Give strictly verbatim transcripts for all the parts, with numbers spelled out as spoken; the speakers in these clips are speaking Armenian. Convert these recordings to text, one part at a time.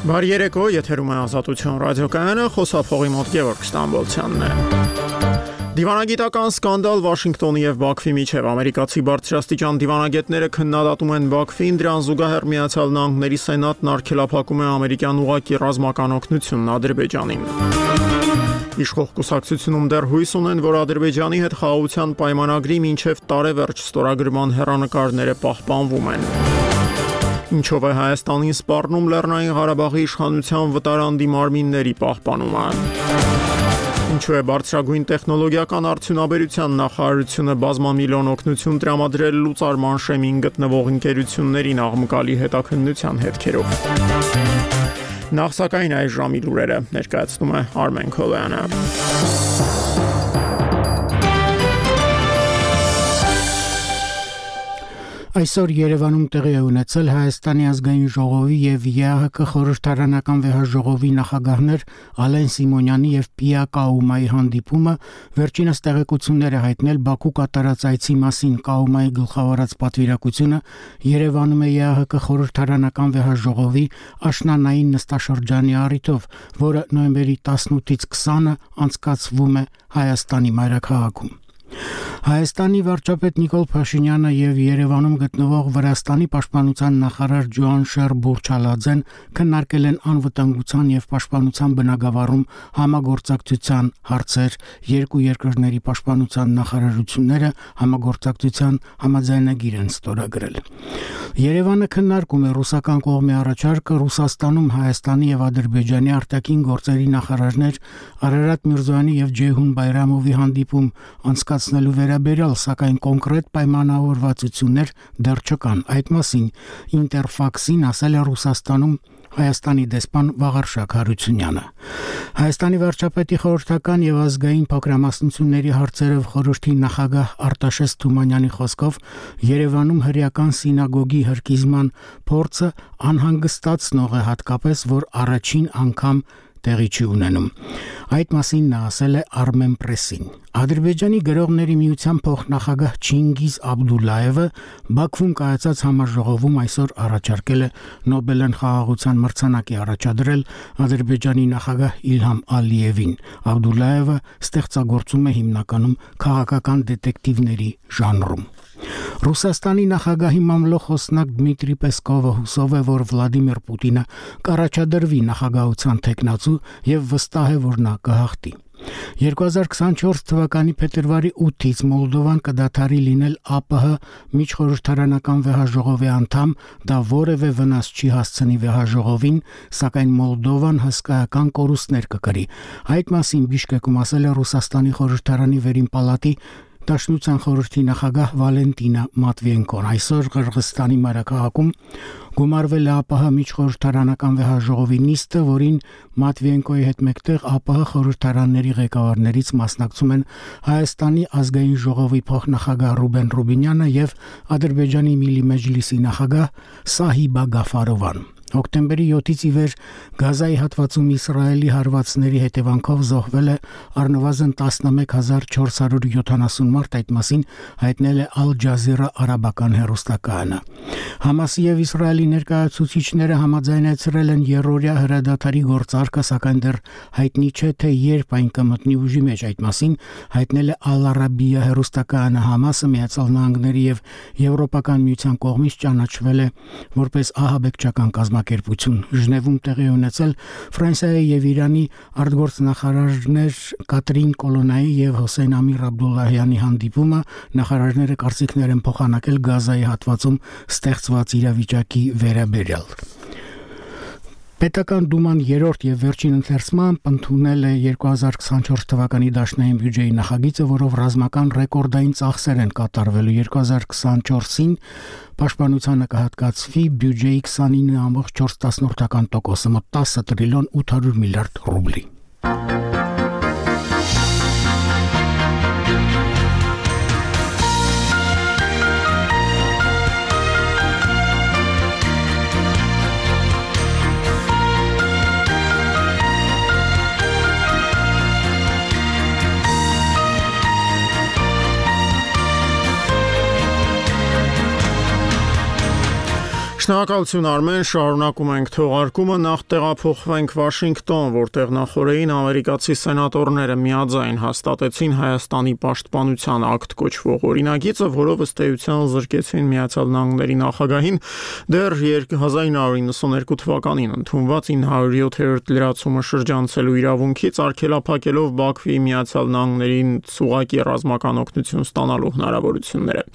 Բարի երեկո, եթերում է Ազատություն ռադիոկայանը, խոսափողի մոտ Գևորգ Ստամբոլցյանն է։ Դիվանագիտական սկանդալ Վաշինգտոնի եւ Բաքվի միջև ամերիկացի բարձրաստիճան դիվանագետները քննադատում են Բաքվին, դրան զուգահեռ Միացյալ Նահանգների Սենատն արգելափակում է ամերիկյան ուղղակի ռազմական օգնությունն Ադրբեջանին։ Իշխող կուսակցությունում դեռ հույս ունեն, որ Ադրբեջանի հետ խաղաղության պայմանագրի մինչև տարեվերջ ստորագրման հեռանկարները պահպանվում են։ Ինչով է Հայաստանին սպառնում Լեռնային Ղարաբաղի իշխանության վտարանդի մարմինների պահպանումը։ Ինչու է բարձրագույն տեխնոլոգիական արդյունաբերության նախարարությունը բազմամիլիոն օգնություն տրամադրել լուծարման շեմին գտնվող ընկերություններին աղմկալի հետաքննության հետքերով։ Նախ սակայն այս ժամի լուրերը ներկայացնում է Արմեն Քոլյանը։ Այսօր Երևանում տեղի է ունեցել Հայաստանի ազգային ժողովի եւ ԵԱՀԿ խորհրդարանական վեհաժողովի նախագահներ Ալեն Սիմոնյանի եւ Պիա Կաումայի հանդիպումը, վերջինս տեղեկություններ է հայտնել Բաքու կատարած այցի մասին։ Կաումայի գլխավորած պատվիրակությունը Երևանում է ԵԱՀԿ խորհրդարանական վեհաժողովի աշնանային նստաշրջանի առիթով, որը նոյեմբերի տասնութից քսանը անցկացվում է Հայաստանի մայրաքաղաքում։ Հայաստանի վարչապետ Նիկոլ Փաշինյանը եւ Երևանում գտնվող Վրաստանի պաշտպանության նախարար Ջոանշեր Բուրչալաձեն քննարկել են անվտանգության եւ պաշտպանության բնագավառում համագործակցության հարցեր։ Երկու երկրների պաշտպանության նախարարությունները համագործակցության համաձայնագիր են ստորագրել։ Երևանը քննարկում է ռուսական կողմի առաջարկը Ռուսաստանում Հայաստանի եւ Ադրբեջանի արտաքին գործերի նախարարներ Արարատ Միրզոյանի եւ Ջեյհուն Բայրամովի հանդիպում անցկացնելու վերաբերյալ, սակայն կոնկրետ պայմանավորվածություններ դեռ չկան։ Այդ մասին Ինտերֆաքսին ասել է Ռուսաստանում Հայաստանի դեսպան Վաղարշակ Հարությունյանը։ Հայաստանի վարչապետի խորհրդական եւ ազգային փոքրամասնությունների հարցերով խորհրդի նախագահ Արտաշես Թումանյանի խոսքով Երևանում հրեական սինագոգի հրկիզման փորձը անհանգստացնող է, հատկապես որ առաջին անգամ տեղի չի ունենում։ Այդ մասին նա ասել է Armen Press-ին։ Ադրբեջանի գրողների միության փոխնախագահ Չինգիզ Աբդուլլայևը Բաքվում կայացած համաժողովում այսօր առաջարկել է Նոբելյան խաղաղության մրցանակի առաջադրել Ադրբեջանի նախագահ Իլհամ Ալիևին։ Աբդուլլայևը ստեղծագործում է հիմնականում քաղաքական դետեկտիվների ժանրում։ Ռուսաստանի նախագահի մամլոխոսնակ Դմիտրի Պեսկովը հուսով է, որ Վլադիմիր Պուտինը կառաջադրվի նախագահության թեկնածու եւ վստահ է, որ նա կհաղթի։ երկու հազար քսանչորս թվականի փետրվարի ութից Մոլդովան կդադարի լինել ԱՊՀ միջխորհրդարանական վեհաժողովի անդամ, դա որևէ վնաս չի հասցնի վեհաժողովին, սակայն Մոլդովան հսկայական կորուստներ կկրի։ Այդ մասին Բիշկեկում ասել է Ռուսաստանի խորհրդարանի վերին պալատի Դաշնության խորհրդի նախագահ Վալենտինա Մատվիենկոն։ Այսօր Qırğızstani մայրաքաղաքում գումարվել է ԱՊՀ միջխորհրդարանական վեհաժողովի նիստը, որին Մատվիենկոյի հետ մեկտեղ ԱՊՀ խորհրդարանների ղեկավարներից մասնակցում են Հայաստանի ազգային ժողովի փոխնախագահ Ռուբեն Ռուբինյանը եւ Ադրբեջանի Միլի Մեջլիսի նախագահ Սահիբա Գաֆարովան։ Հոկտեմբերի յոթից ի վեր Գազայի հատվածում Իսրայելի հարվածների հետևանքով զոհվել է առնվազն տասնմեկ հազար չորս հարյուր յոթանասուն մարդ, այդ մասին հայտնել է Al Jazeera արաբական հեռուստակայանը։ Համասի եւ Իսրայելի ներկայացուցիչները համաձայնեցրել են երրորդյա հրադադարի գործարկը, սակայն դեռ հայտնի չէ, թե երբ այն կմտնի ուժի մեջ։ Այդ մասին հայտնել է Al Arabiya հեռուստակայանը։ Համասը Միացյալ Նահանգների եւ Եվրոպական միության կողմից ճանաչվել է որպես ահաբեկչական կազմակերպություն։ Ժնևում տեղի ունեցել Ֆրանսիայի եւ Իրանի արտգործնախարարներ Կատրին Կոլոնայի եւ Հոսեյն Ամիր Աբդուլլահյանի հանդիպումը նախարարները կարծիքներ են փոխանակել Գազայի հատվածում ստեղծված իրավիճակի վերաբերյալ։ Պետական դուման երրորդ եւ վերջին ընթերցմամբ ընդունել է երկու հազար քսանչորս թվականի դաշնային բյուջեի նախագիծը, որով ռազմական ռեկորդային ծախսեր են կատարվելու։ երկու հազար քսանչորսին պաշտպանությանը կհատկացվի բյուջեի քսանինը կόμμα չորս տոկոսը, մոտ տասը տրիլիոն ութ հարյուր միլիարդ ռուբլի։ Շնորհակալություն Արմեն, շարունակում ենք թողարկումը, նախ տեղափոխվենք Վաշինգտոն, որտեղ նախորդին ամերիկացի սենատորները միաձայն հաստատեցին Հայաստանի պաշտպանության ակտ կոչվող օրինագիծը, որով ըստ էության զրկեցին Միացյալ Նահանգների նախագահին դեռ հազար նույն հարյուր նվաթ թվականին ընդունված ինը հարյուր յոթերորդ լրացումը շրջանցելու իրավունքից, արգելափակելով Բաքվի Միացյալ Նահանգներին ցուցակի ռազմական օգնություն ստանալու հնարավորությունները։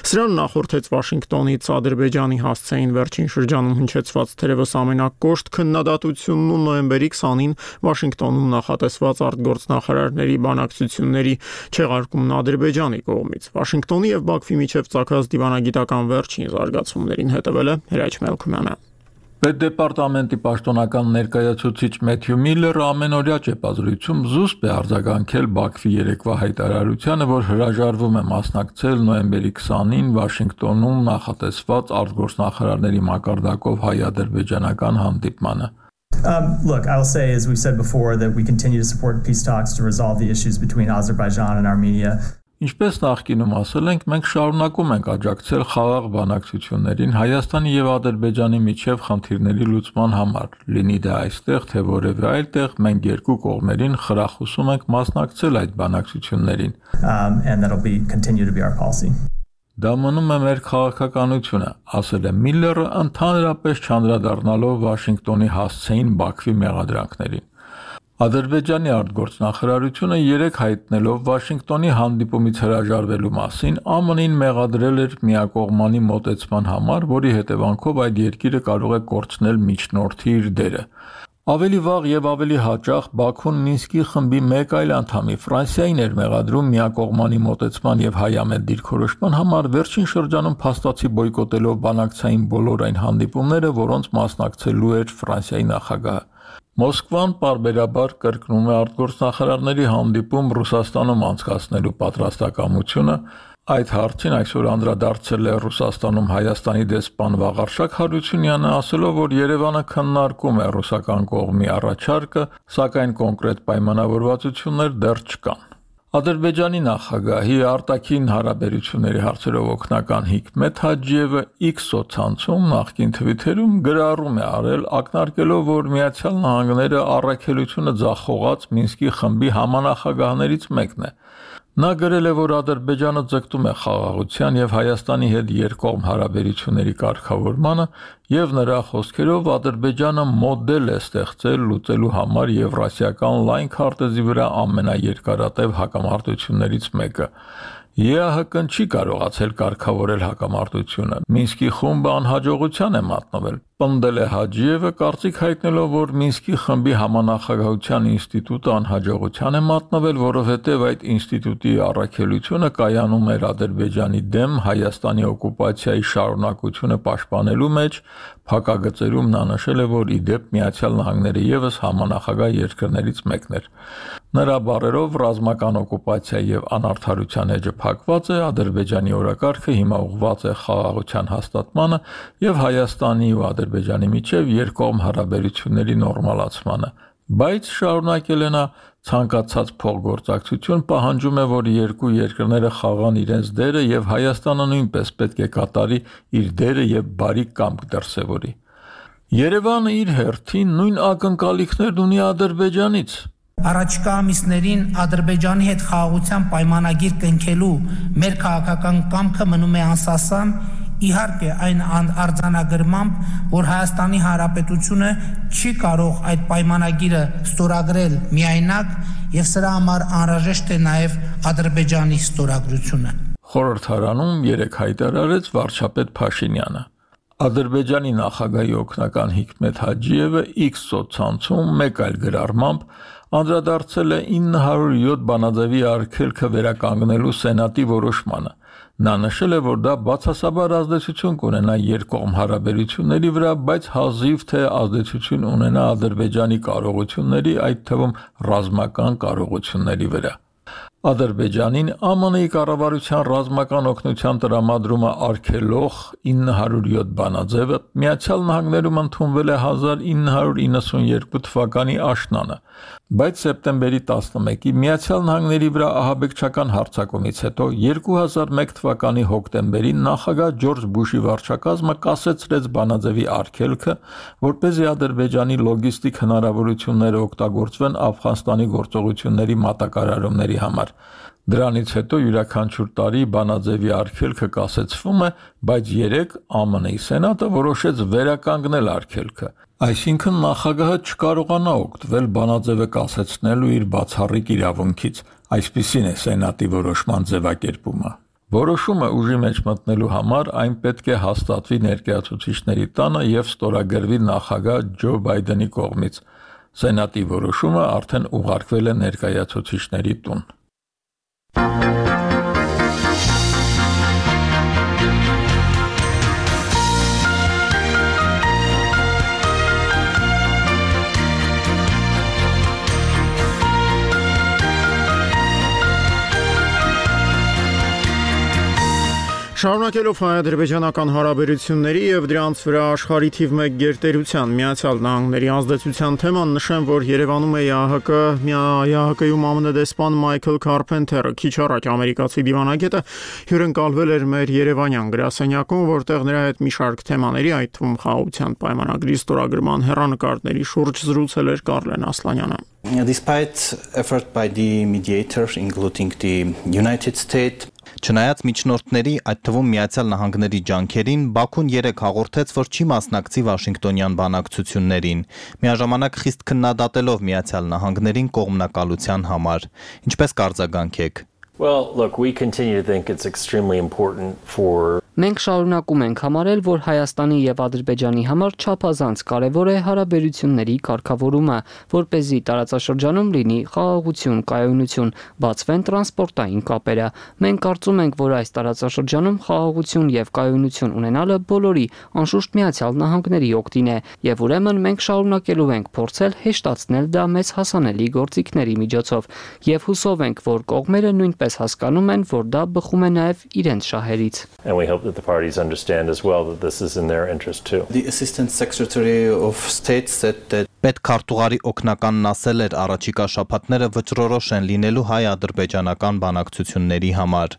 Սրան նախորդեց Վաշինգտոնից Ադրբեջանի հասցեին վերջին շրջանում հնչեցված թերևս ամենակոշտ քննադատությունն ու նոյեմբերի քսանին Վաշինգտոնում նախատեսված արտգործնախարարների բանակցությունների չեղարկումն Ադրբեջանի կողմից։ Վաշինգտոնի եւ Բաքվի միջև ցակած դիվանագիտական վերջին զարգացումներին հետևել է Հրաչ Մելքումյանը։ Պետդեպարտամենտի պաշտոնական ներկայացուցիչ Մեթյու Միլլերը ամենօրյա ճեպազրույցում զուսպ է արձագանքել Բաքվի երեկվա հայտարարությանը, որ հրաժարվում է մասնակցել նոյեմբերի քսանին Վաշինգտոնում նախատեսված արտգործնախարարների մակարդակով հայ-ադրբեջանական հանդիպմանը։ Um, look, I'll say, as we've said before, that we continue to support peace talks to resolve the issues between Azerbaijan and Armenia. Ինչպես նախկինում ասել ենք, մենք շարունակում ենք աջակցել խաղաղ բանակցություններին Հայաստանի եւ Ադրբեջանի միջև խնդիրների լուծման համար, լինի դա այստեղ, թե որևէ այլ տեղ, մենք երկու կողմերին խրախուսում ենք մասնակցել այդ բանակցություններին։ Um, and that'll be continue to be our policy. Դա մնում է մեր քաղաքականությունը, ասել է Միլլերը, ընդհանրապես չանդրադառնալով Վաշինգտոնի հասցեին Բաքվի մեղադրանքներին։ Ադրբեջանի արտգործնախարարությունը երեք հայտնելով Վաշինգտոնի հանդիպումից հրաժարվելու մասին ԱՄՆ-ին մեղադրել էր միակողմանի մոտեցման համար, որի հետևանքով այդ երկիրը կարող է կորցնել միջնորդի իր դերը։ Ավելի վաղ եւ ավելի հաճախ Բաքուն Մինսկի խմբի մեկ այլ անդամի Ֆրանսիային էր մեղադրում միակողմանի մոտեցման եւ հայամետ դիրքորոշման համար, վերջին շրջանում փաստացի բոյկոտելով բանակցային բոլոր այն հանդիպումները, որոնց մասնակցելու էր Ֆրանսիայի նախագահը։ Մոսկվան պարբերաբար կրկնում է արտգործնախարարների հանդիպում Ռուսաստանում անցկացնելու պատրաստակամությունը։ Այդ հարցին այսօր անդրադարձել է Ռուսաստանում Հայաստանի դեսպան Վաղարշակ Հարությունյանը, ասելով, որ Երևանը քննարկում է ռուսական կողմի առաջարկը, սակայն կոնկրետ պայմանավորվածություններ դեռ չկան։ Ադրբեջանի նախագահի արտաքին հարաբերությունների հարցերով օգնական Հիկմետ Հաջիևը X սոցցանցում նախկին թվիթերում գրառում է արել, ակնարկելով, որ Միացյալ Նահանգները առաքելությունը ձախողած Մինսկի խմբի համանախագահներից մեկն է։ Նա գրել է, որ Ադրբեջանը ձգտում է խաղաղության եւ Հայաստանի հետ երկկողմ հարաբերությունների կարգավորմանը եւ նրա խոսքերով Ադրբեջանը մոդել է ստեղծել լուծելու համար Եվրասիական լայն քարտեզի վրա ամենաերկարատև հակամարտություններից մեկը։ ԵԱՀԿ-ն չի կարողացել կարգավորել հակամարտությունը։ Մինսկի խումբը անհաջողության է մատնվել։ Պնդել է Հաջիևը, կարծիք հայտնելով, որ Մինսկի խմբի համանախագահության ինստիտուտը անհաջողության է մատնվել, որովհետև այդ ինստիտուտի առաքելությունը կայանում էր Ադրբեջանի դեմ Հայաստանի օկուպացիայի շարունակությունը պաշտպանելու մեջ։ Փակագծերում նա նշել է, որ ի դեպ Միացյալ Նահանգները ևս համանախագահ երկրներից մեկն էր։ Նրա բառերով ռազմական օկուպացիա եւ անարդարության էջը փակված է, Ադրբեջանի օրակարգը հիմա ուղղված է խաղաղության հաստատմանը եւ Հայաստանի ու Ադրբեջանի միջև երկկողմ հարաբերությունների նորմալացմանը, բայց շարունակել է նա ցանկացած փոխգործակցություն պահանջում է, որ երկու երկրները խաղան իրենց դերը եւ Հայաստանը նույնպես պետք է կատարի իր դերը եւ բարի կամք դրսեւորի։ Երևանը իր հերթին նույն ակնկալիքներն ունի Ադրբեջանից։ Առաջկա ամիսներին Ադրբեջանի հետ խաղաղության պայմանագիր կնքելու մեր քաղաքական կամքը մնում է անսասան, իհարկե այն արձանագրմամբ, որ Հայաստանի Հանրապետությունը չի կարող այդ պայմանագիրը ստորագրել միայնակ եւ սրա համար անհրաժեշտ է նաեւ Ադրբեջանի ստորագրությունը։ Խորհրդարանում երեք հայտարարեց վարչապետ Փաշինյանը։ Ադրբեջանի նախագահի օգնական Հիկմետ Հաջիևը X սոցցանցում մեկ այլ գրառմամբ անդրադարձել է ինը հարյուր յոթ բանաձևի արգելքը վերականգնելու սենատի որոշմանը։ Նա նշել է, որ դա բացասաբար ազդեցություն կունենա երկկողմ հարաբերությունների վրա, բայց հազիվ թե ազդեցություն ունենա Ադրբեջանի կարողությունների, այդ թվում ռազմական կարողությունների վրա։ Ադրբեջանին Է Մ Ն-ի կառավարության ռազմական օգնության տրամադրումը արգելող ինը հարյուր յոթ բանաձևը Միացյալ Նահանգներում ընդունվել է հազար ինը հարյուր իննսունյերկու թվականի աշնանը, բայց սեպտեմբերի տասնմեկի Միացյալ Նահանգների վրա ահաբեկչական հարձակումից հետո երկու հազար մեկ թվականի հոկտեմբերին նախագահ Ջորջ Բուշի վարչակազմը կասեցրեց բանաձևի արգելքը, որպեսզի Ադրբեջանի լոգիստիկ հնարավորությունները օգտագործվեն Աֆղանստանի գործողությունների մատակարարումների համար։ Դրանից հետո յուրաքանչյուր տարի բանաձևի արգելքը կասեցվում է, բայց երեկ Է Մ Ն-ի Սենատը որոշեց վերականգնել արգելքը։ Այսինքն նախագահը չկարողանա օգտվել բանաձևը կասեցնելու իր բացառիկ իրավունքից, այսպիսին է Սենատի որոշման ձևակերպումը։ Որոշումը ուժի մեջ մտնելու համար այն պետք է հաստատվի ներկայացուցիչների տանը եւ ստորագրվի նախագահ Ջո Բայդենի կողմից։ Սենատի որոշումը արդեն ուղարկվել է ներկայացուցիչների տուն։ Շարունակելով հայ-ադրբեջանական հարաբերությունների եւ դրանց վրա աշխարհի թիվ մեկ գերտերության Միացյալ Նահանգների ազդեցության թեման նշեմ, որ Երևանում է Է Հ Կ-ում Մ Ն դեսպան Մայքլ Քարփենթերը, քիչ առաջ ամերիկացի դիվանագետը հյուրընկալվել էր մեր երևանյան գրասենյակում, որտեղ նրա հետ մի շարք թեմաների, այդ թվում խաղաղության պայմանագրի ստորագրման հեռանկարների շուրջ զրուցել էր Կարլեն Ասլանյանը։ Despite effort by the mediator, including the United States, Չնայած միջնորդների, այդ թվում Միացյալ Նահանգների ջանքերին, Բաքուն երեկ հաղորդեց, որ չի մասնակցի Վաշինգտոնյան բանակցություններին, միաժամանակ խիստ քննադատելով Միացյալ Նահանգներին կողմնակալության համար։ Ինչպես կարձագանք եք։ Well, look, we continue to think it's extremely important for Մենք շարունակում ենք համարել, որ Հայաստանի եւ Ադրբեջանի համար չափազանց կարեւոր է հարաբերությունների կարգավորումը, որպեսզի տարածաշրջանում լինի խաղաղություն, կայունություն, բացվեն տրանսպորտային կապերը։ Մենք կարծում ենք, որ այս տարածաշրջանում խաղաղություն եւ կայունություն ունենալը բոլորի, անշուշտ Միացյալ Նահանգների օգտին է, եւ ուրեմն մենք շարունակելու ենք փորձել հեշտացնել դա մեծ հասանելի գործիքների միջոցով, եւ հուսով ենք, որ կողմերը նույնպես հասկանում են, որ դա բխում է նաեւ իրենց շահերից։ that the parties understand as well that this is in their interest too. The Assistant Secretary of State said that Պետքարտուղարի օգնականն ասել էր առաջիկա շաբաթները վճռորոշ են լինելու հայ-ադրբեջանական բանակցությունների համար։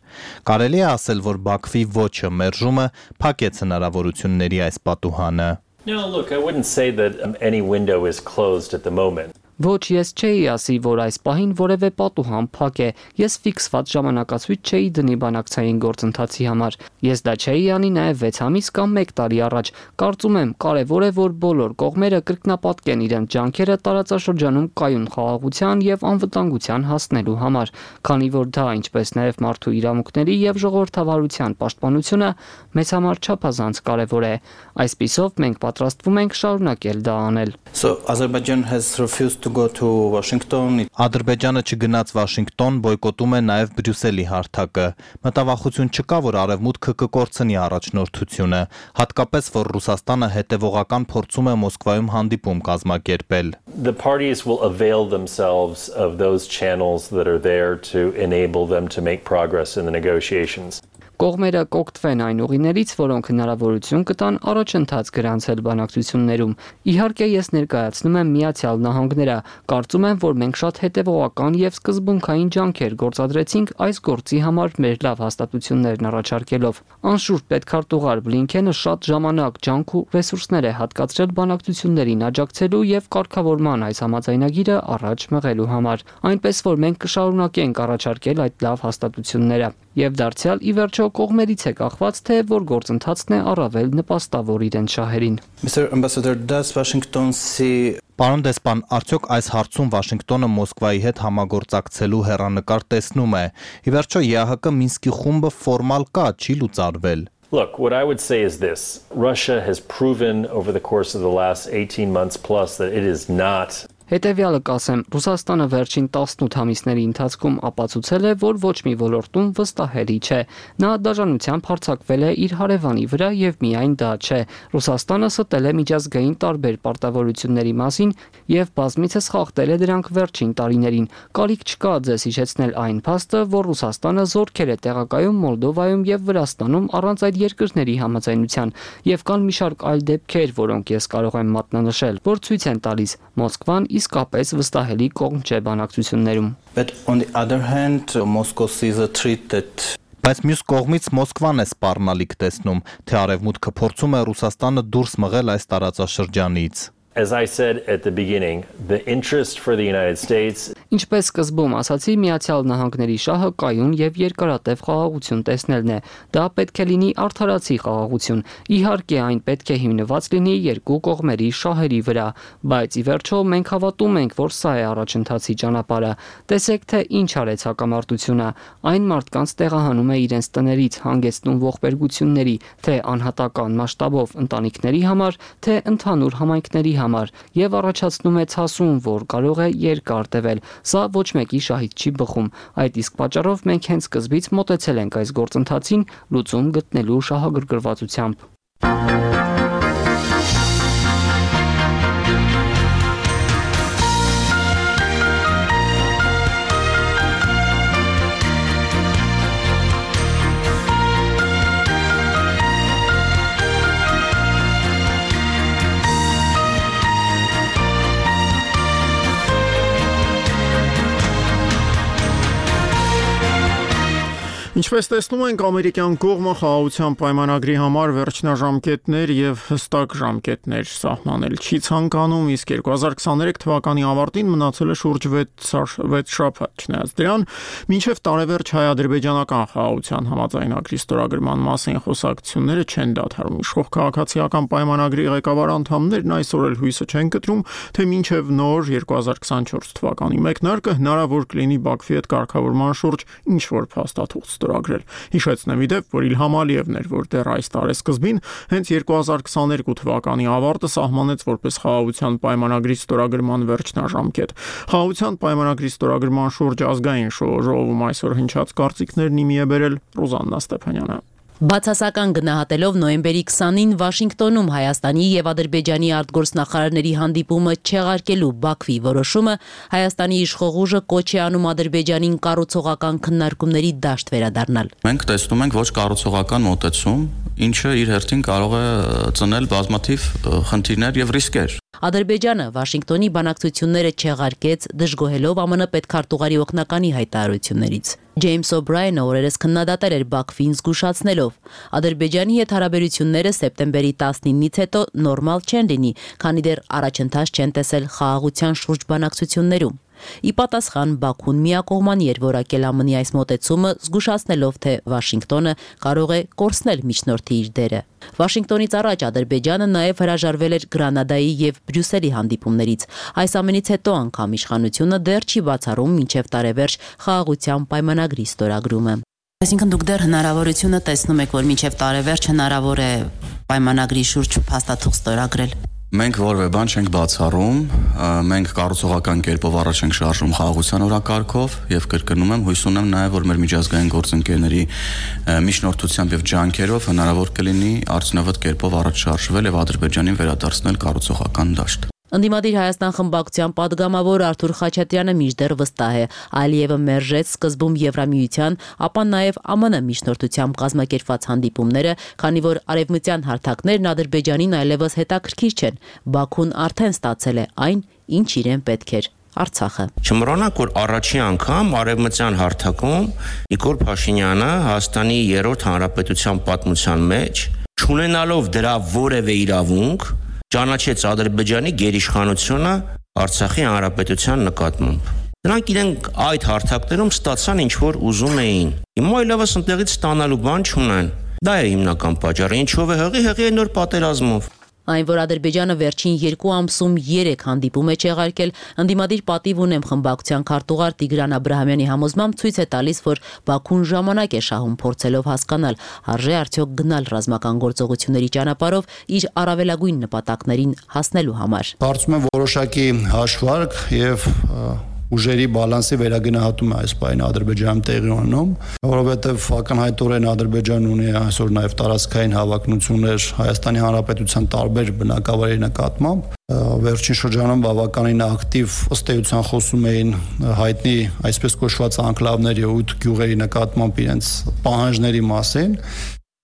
Կարելի է ասել, որ Բաքվի ոչը մերժումը փակեց հնարավորությունների այս պատուհանը։ No, look, I wouldn't say that um, any window is closed at the moment. Ոչ, ես չէի ասի, որ այս պահին որևէ պատուհան փակ է։ Ես ֆիքսված ժամանակացույց չէի դնի բանակցային գործընթացի համար։ Ես դա չէի անի նաև վեց ամիս կամ մեկ տարի առաջ։ Կարծում եմ, կարևոր է, որ բոլոր կողմերը կրկնապատկեն իրենց ջանքերը տարածաշրջանում կայուն խաղաղության եւ անվտանգության հասնելու համար, քանի որ դա, ինչպես նաև մարդու իրավունքների եւ ժողովրդավարության պաշտպանությունը մեզ համար չափազանց կարևոր է։ Այսպիսով մենք պատրաստվում ենք շարունակել դա անել։ So Azerbaijan has refused to go to Washington. Ադրբեջանը չգնաց Վաշինգտոն, բոյկոտում է նաև Բրյուսելի հարթակը։ Մտավախություն չկա, որ Արևմուտքը կկորցնի առաջնորդությունը, հատկապես որ Ռուսաստանը հետևողական փորձում է Մոսկվայում հանդիպում կազմակերպել։ The parties will avail themselves of those channels that are there to enable them to make progress in the negotiations. Կողմերը կօգտվեն այն ուղիներից, որոնք հնարավորություն կտան առաջընթաց գրանցել բանակցություններում։ Իհարկե, ես ներկայացնում եմ Միացյալ Նահանգները։ Կարծում եմ, որ մենք շատ հետևողական եւ սկզբունքային ջանքեր գործադրեցինք այս գործի համար մեր լավ հաստատություններն առաջարկելով։ Անշուշտ պետքարտուղար Բլինքենը շատ ժամանակ, ջանք ու ռեսուրսներ է հատկացրել բանակցություններին աջակցելու եւ կարգավորման այս համաձայնագիրը առաջ մղելու համար։ Այնպես որ մենք կշարունակենք առաջարկել այդ լավ հաստատությունները։ Եվ դարձյալ ի վերջո կողմերից է կախված, թե որ գործընթացն է առավել նպաստավոր իրենց շահերին։ Mister Ambassador, does Washington see Պարոն դեսպան, արդյոք այս հարցում Վաշինգտոնը Մոսկվայի հետ համագործակցելու հեռանկար տեսնում է։ Ի վերջո Է Հ Կ Մինսկի խումբը ֆորմալ կա, չի լուծարվել։ Look, what I would say is this. Russia has proven over the course of the last eighteen months plus that it is not Հետևյալը կասեմ, Ռուսաստանը վերջին տասնութ ամիսների ընթացքում ապացուցել է, որ ոչ մի ոլորտում վստահելի չէ։ Նա դաժանությամբ հարձակվել է իր հարևանի վրա եւ միայն դա չէ։ Ռուսաստանը ստել է միջազգային տարբեր պարտավորությունների մասին եւ բազմիցս խախտել է դրանք վերջին տարիներին։ Կարիք չկա ձեզ հիշեցնել այն փաստը, որ Ռուսաստանը զորքեր է տեղակայում Մոլդովայում եւ Վրաստանում առանց այդ երկրների համաձայնության, եւ կան մի շարք այլ դեպքեր, որոնք ես կարող եմ մատնանշել, որ ցույց են տալիս Մոսկվան իսկապես վստահելի կողմ չէ բանակցություններում։ But on the other hand, Moscow sees a threat that Բայց մյուս կողմից Մոսկվան է սպառնալիք տեսնում, թե Արևմուտքը փորձում է Ռուսաստանը դուրս մղել այս տարածաշրջանից։ As I said at the beginning, the interest for the United States Ինչպես սկզբում ասացի, Միացյալ Նահանգների շահը կայուն եւ երկարատև խաղաղություն տեսնելն է։ Դա պետք է լինի արդարացի խաղաղություն։ Իհարկե, այն պետք է հիմնված լինի երկու կողմերի շահերի վրա, բայց ի վերջո մենք հավատում ենք, որ սա է առաջընթացի ճանապարհը։ Տեսեք, թե ինչ արեց հակամարտությունը։ Այն մարդկանց տեղահանում է իրենց տներից, հանգեցնում ողբերգությունների, թե անհատական մասշտաբով ընտանիքների համար, թե ընդհանուր համայնքների համար, եւ առաջացնում է ցասում, որ կարող է երկար տևել։ Սա ոչ մեկի շահից չի բխում։ Այդ իսկ պատճառով մենք հենց սկզբից մոտեցել ենք այս գործընթացին լուծում գտնելու շահագրգռվածությամբ։ Ինչպես տեսնում ենք, ամերիկյան կողմը խաղաղության պայմանագրի համար վերջնաժամկետներ եւ հստակ ժամկետներ սահմանել չի ցանկանում, իսկ երկու հազար քսաներեք թվականի ավարտին մնացել է շուրջ վեց շաբաթ, չնայած դրան, մինչև տարեվերջ հայ-ադրբեջանական խաղաղության համաձայնագրի ստորագրման մասին խոսակցությունները չեն դադարում։ Իշխող քաղաքացիական պայմանագրի ղեկավար անդամներն այսօր էլ հույսը չեն կտրում, թե մինչև նոր երկու հազար քսանչորս թվականի մեկնարկը հնարավոր կլինի Բաքվի հետ կարգավորման շուրջ ինչ-որ փաստաթուղթ ստորագրել։ Հիշեցնեմ իդեպ, որ Իլհամ Ալիևն էր, որ դեռ այս տարեսկզբին հենց երկու հազար քսաներկու թվականի ավարտը սահմանեց որպես խաղաղության պայմանագրի ստորագրման վերջնաժամկետ։ Խաղաղության պայմանագրի ստորագրման շուրջ ազգային ժողովում այսօր հնչած կարծիքներն իմի է բերել Ռոզաննա Ստեփանյանը։ Բացասական գնահատելով նոյեմբերի քսանին Վաշինգտոնում Հայաստանի եւ Ադրբեջանի արտգործնախարարների հանդիպումը չեղարկելու Բաքվի որոշումը Հայաստանի իշխող ուժը կոչ է անում Ադրբեջանին կառուցողական քննարկումների դաշտ վերադառնալ։ Մենք տեսնում ենք ոչ կառուցողական մոտեցում, ինչը իր հերթին կարող է ծնել բազմաթիվ խնդիրներ եւ ռիսկեր։ Ադրբեջանը Վաշինգտոնի բանակցությունները չեղարկեց, դժգոհելով ԱՄՆ պետքարտուղարի օգնականի հայտարարություններից։ Ջեյմս Օբրայենը օրերս քննադատել էր Բաքվին զգուշացնելով. Ադրբեջանի հետ հարաբերությունները սեպտեմբերի տասնինից հետո նորմալ չեն լինի, քանի դեռ առաջընթաց չեն տեսել խաղաղության շուրջ բանակցություններում։ Ի պատասխան Բաքուն միակողմանի էր որակել ԱՄՆ-ի այս մոտեցումը, զգուշացնելով, թե Վաշինգտոնը կարող է կորցնել միջնորդի իր դերը։ Վաշինգտոնից առաջ Ադրբեջանը նաև հրաժարվել էր Գրանադայի եւ Բրյուսելի հանդիպումներից։ Այս ամենից հետո անգամ իշխանությունը դեռ չի բացառում մինչև տարեվերջ խաղաղության պայմանագրի ստորագրումը։ Այսինքն դուք դեռ հնարավորությունը տեսնում եք, որ մինչև տարեվերջ հնարավոր է պայմանագրի շուրջ փաստաթուղթ ստորագրել։ Մենք որևէ բան չենք բացառում, մենք կառուցողական կերպով առաջ ենք շարժում խաղաղության օրակարգով եւ կրկնում եմ, հույս ունեմ նաեւ, որ մեր միջազգային գործընկերների միջնորդությամբ եւ ջանքերով հնարավոր կլինի արդյունավետ կերպով առաջ շարժվել եւ Ադրբեջանին վերադարձնել կառուցողական դաշտ։ Ընդդիմադիր Հայաստան խմբակցության падգամավոր Արթուր Խաչատրյանը մինչդեռ վստահ է, Ալիևը մերժեց սկզբում Եվրամիության, ապա նաև ԱՄՆ միջնորդությամբ կազմակերպված հանդիպումները, քանի որ արևմտյան հարթակներն Ադրբեջանին այլևս հետաքրքիր չեն, Բաքուն արդեն ստացել է այն, ինչ իրեն պետք էր։ Արցախը։ Չմոռանանք, որ առաջին անգամ արևմտյան հարթակում Նիկոլ Փաշինյանը Հայաստանի երրորդ հանրապետության պատմության մեջ, չունենալով դրա որևէ իրավունք, ճանաչեց Ադրբեջանի գերիշխանությունը Արցախի հանրապետության նկատմամբ։ Նրանք իրենք այդ հարթակներում ստացան ինչ որ ուզում էին։ Հիմա այլևս ընդեղից ստանալու բան չունեն։ Դա է հիմնական պատճառը, ինչով է հղի հղի է նոր պատերազմով։ Այն, որ Ադրբեջանը վերջին երկու ամսում երեք հանդիպում է չեղարկել, ընդդիմադիր պատիվ ունեմ խմբակցության քարտուղար Տիգրան Աբրահամյանի համոզմամբ ցույց է տալիս, որ Բաքուն ժամանակ է շահում փորձելով հասկանալ, արժե արդյոք գնալ ռազմական գործողությունների ճանապարհով իր առավելագույն նպատակներին հասնելու համար։ Կարծում եմ որոշակի հաշվարկ եւ ուժերի բալանսի վերագնահատում է այս պահին Ադրբեջանում տեղի ունենում, որովհետև ակնհայտորեն Ադրբեջանն ունի այսօր նաև տարածքային հավակնություններ Հայաստանի Հանրապետության տարբեր բնակավայրերի նկատմամբ։ Վերջին շրջանում բավականին ակտիվ ըստ էության խոսում էին հայտնի այսպես կոչված անկլավների ութ գյուղերի նկատմամբ իրենց պահանջների մասին։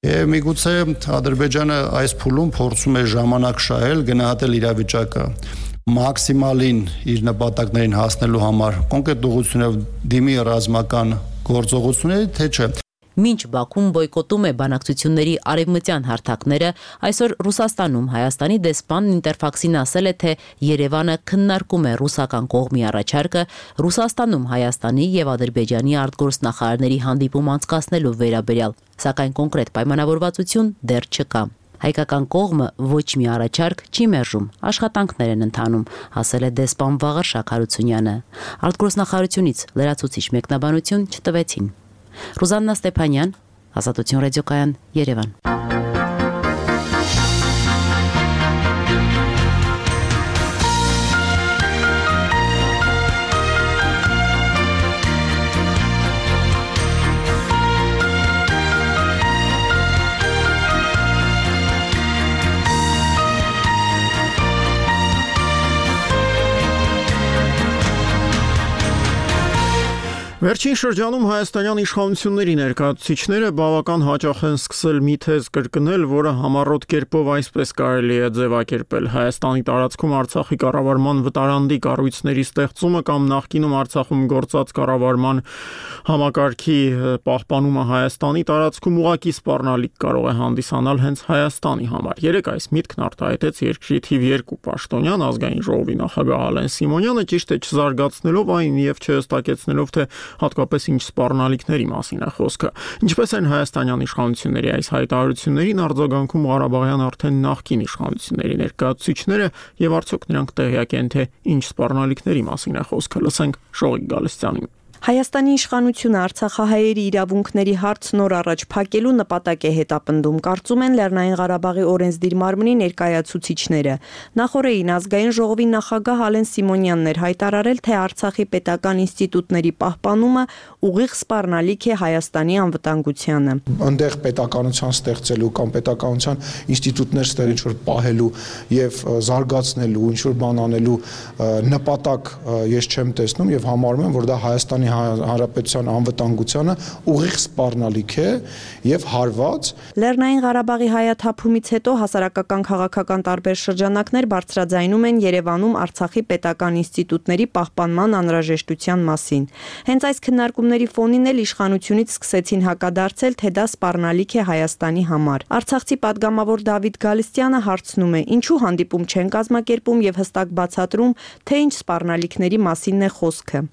Եվ միգուցե Ադրբեջանը այս փուլում փորձում է ժամանակ շահել, գնահատել իրավիճակը մաքսիմալին իր նպատակներին հասնելու համար կոնկրետ ուղղությունով դիմի ռազմական գործողությունների, թե չէ։ Մինչ Բաքուն բոյկոտում է բանակցությունների արևմտյան հարթակները, այսօր Ռուսաստանում Հայաստանի դեսպանն Ինտերֆաքսին ասել է, թե Երևանը քննարկում է ռուսական կողմի առաջարկը Ռուսաստանում Հայաստանի եւ Ադրբեջանի արտգործնախարարների հանդիպում անցկացնելու վերաբերյալ, սակայն կոնկրետ պայմանավորվածություն դեռ չկա։ Հայկական կողմը ոչ մի առաջարկ չի մերժում, աշխատանքներ են ընթանում, ասել է դեսպան Վաղար Շաքարությունյանը։ Արտգործնախարարությունից լրացուցիչ մեկնաբանություն չտվեցին։ Ռուզաննա Ստեփանյան, Ազատություն ռադիոկայան, Երևան։ Վերջին շրջանում հայաստանյան իշխանությունների ներկայացուցիչները բավական հաճախ են սկսել մի թեզ կրկնել, որը համառոտ կերպով այսպես կարելի է ձևակերպել. Հայաստանի տարածքում Արցախի կառավարման վտարանդի կառույցների ստեղծումը կամ նախկինում Արցախում գործած կառավարման համակարգի պահպանումը Հայաստանի տարածքում ուղղակի սպառնալիք կարող է հանդիսանալ հենց Հայաստանի համար։ Երեք այս միտքն արտահայտեց երկրի թիվ երկու պաշտոնյան ազգային ժողովի նախագահ Ալեն Սիմոնյանը, ճիշտ է չզարգացնելով այն եւ չհստակեցնելով, թե հատկապես ինչ սպառնալիքների մասին է խոսքը։ Ինչպես են հայաստանյան իշխանությունների այս հայտարարություններին արձագանքում Ղարաբաղյան արդեն նախկին իշխանությունների ներկայացուցիչները եւ արդյոք նրանք տեղյակ են, թե ինչ սպառնալիքների մասին է խոսքը։ Լսենք Շողիկ Գալստյանին։ Հայաստանի իշխանությունը Արցախահայերի իրավունքների հարց նոր առաջ փակելու նպատակ է հետապնդում, կարծում են Լեռնային Ղարաբաղի օրենսդիր մարմնի ներկայացուցիչները։ Նախորդին ազգային ժողովի նախագահ Ալեն Սիմոնյանն էր հայտարարել, թե Արցախի պետական ինստիտուտների պահպանումը ուղիղ սպառնալիք է Հայաստանի անվտանգությանը։ Այնտեղ պետականության ստեղծելու կամ պետականության ինստիտուտներ ստեղ ինչ որ պահելու եւ զարգացնելու, ինչ որ բան անելու նպատակ ես չեմ տեսնում եւ համարում եմ, որ դա Հայաստանի Հանրապետության անվտանգությանը ուղիղ սպառնալիք է եւ հարված։ Լեռնային Ղարաբաղի հայաթափումից հետո հասարակական քաղաքական տարբեր շրջանակներ բարձրաձայնում են Երևանում Արցախի պետական ինստիտուտների պահպանման անհրաժեշտության մասին։ Հենց այս քննարկումների ֆոնին էլ իշխանությունից սկսեցին հակադարձել, թե դա սպառնալիք է Հայաստանի համար։ Արցախցի падգամավոր Դավիթ Գալստյանը հարցնում է, ինչու հանդիպում չեն կազմակերպում եւ հստակ բացատրում, թե ինչ սպառնալիքների մասինն է խոսքը։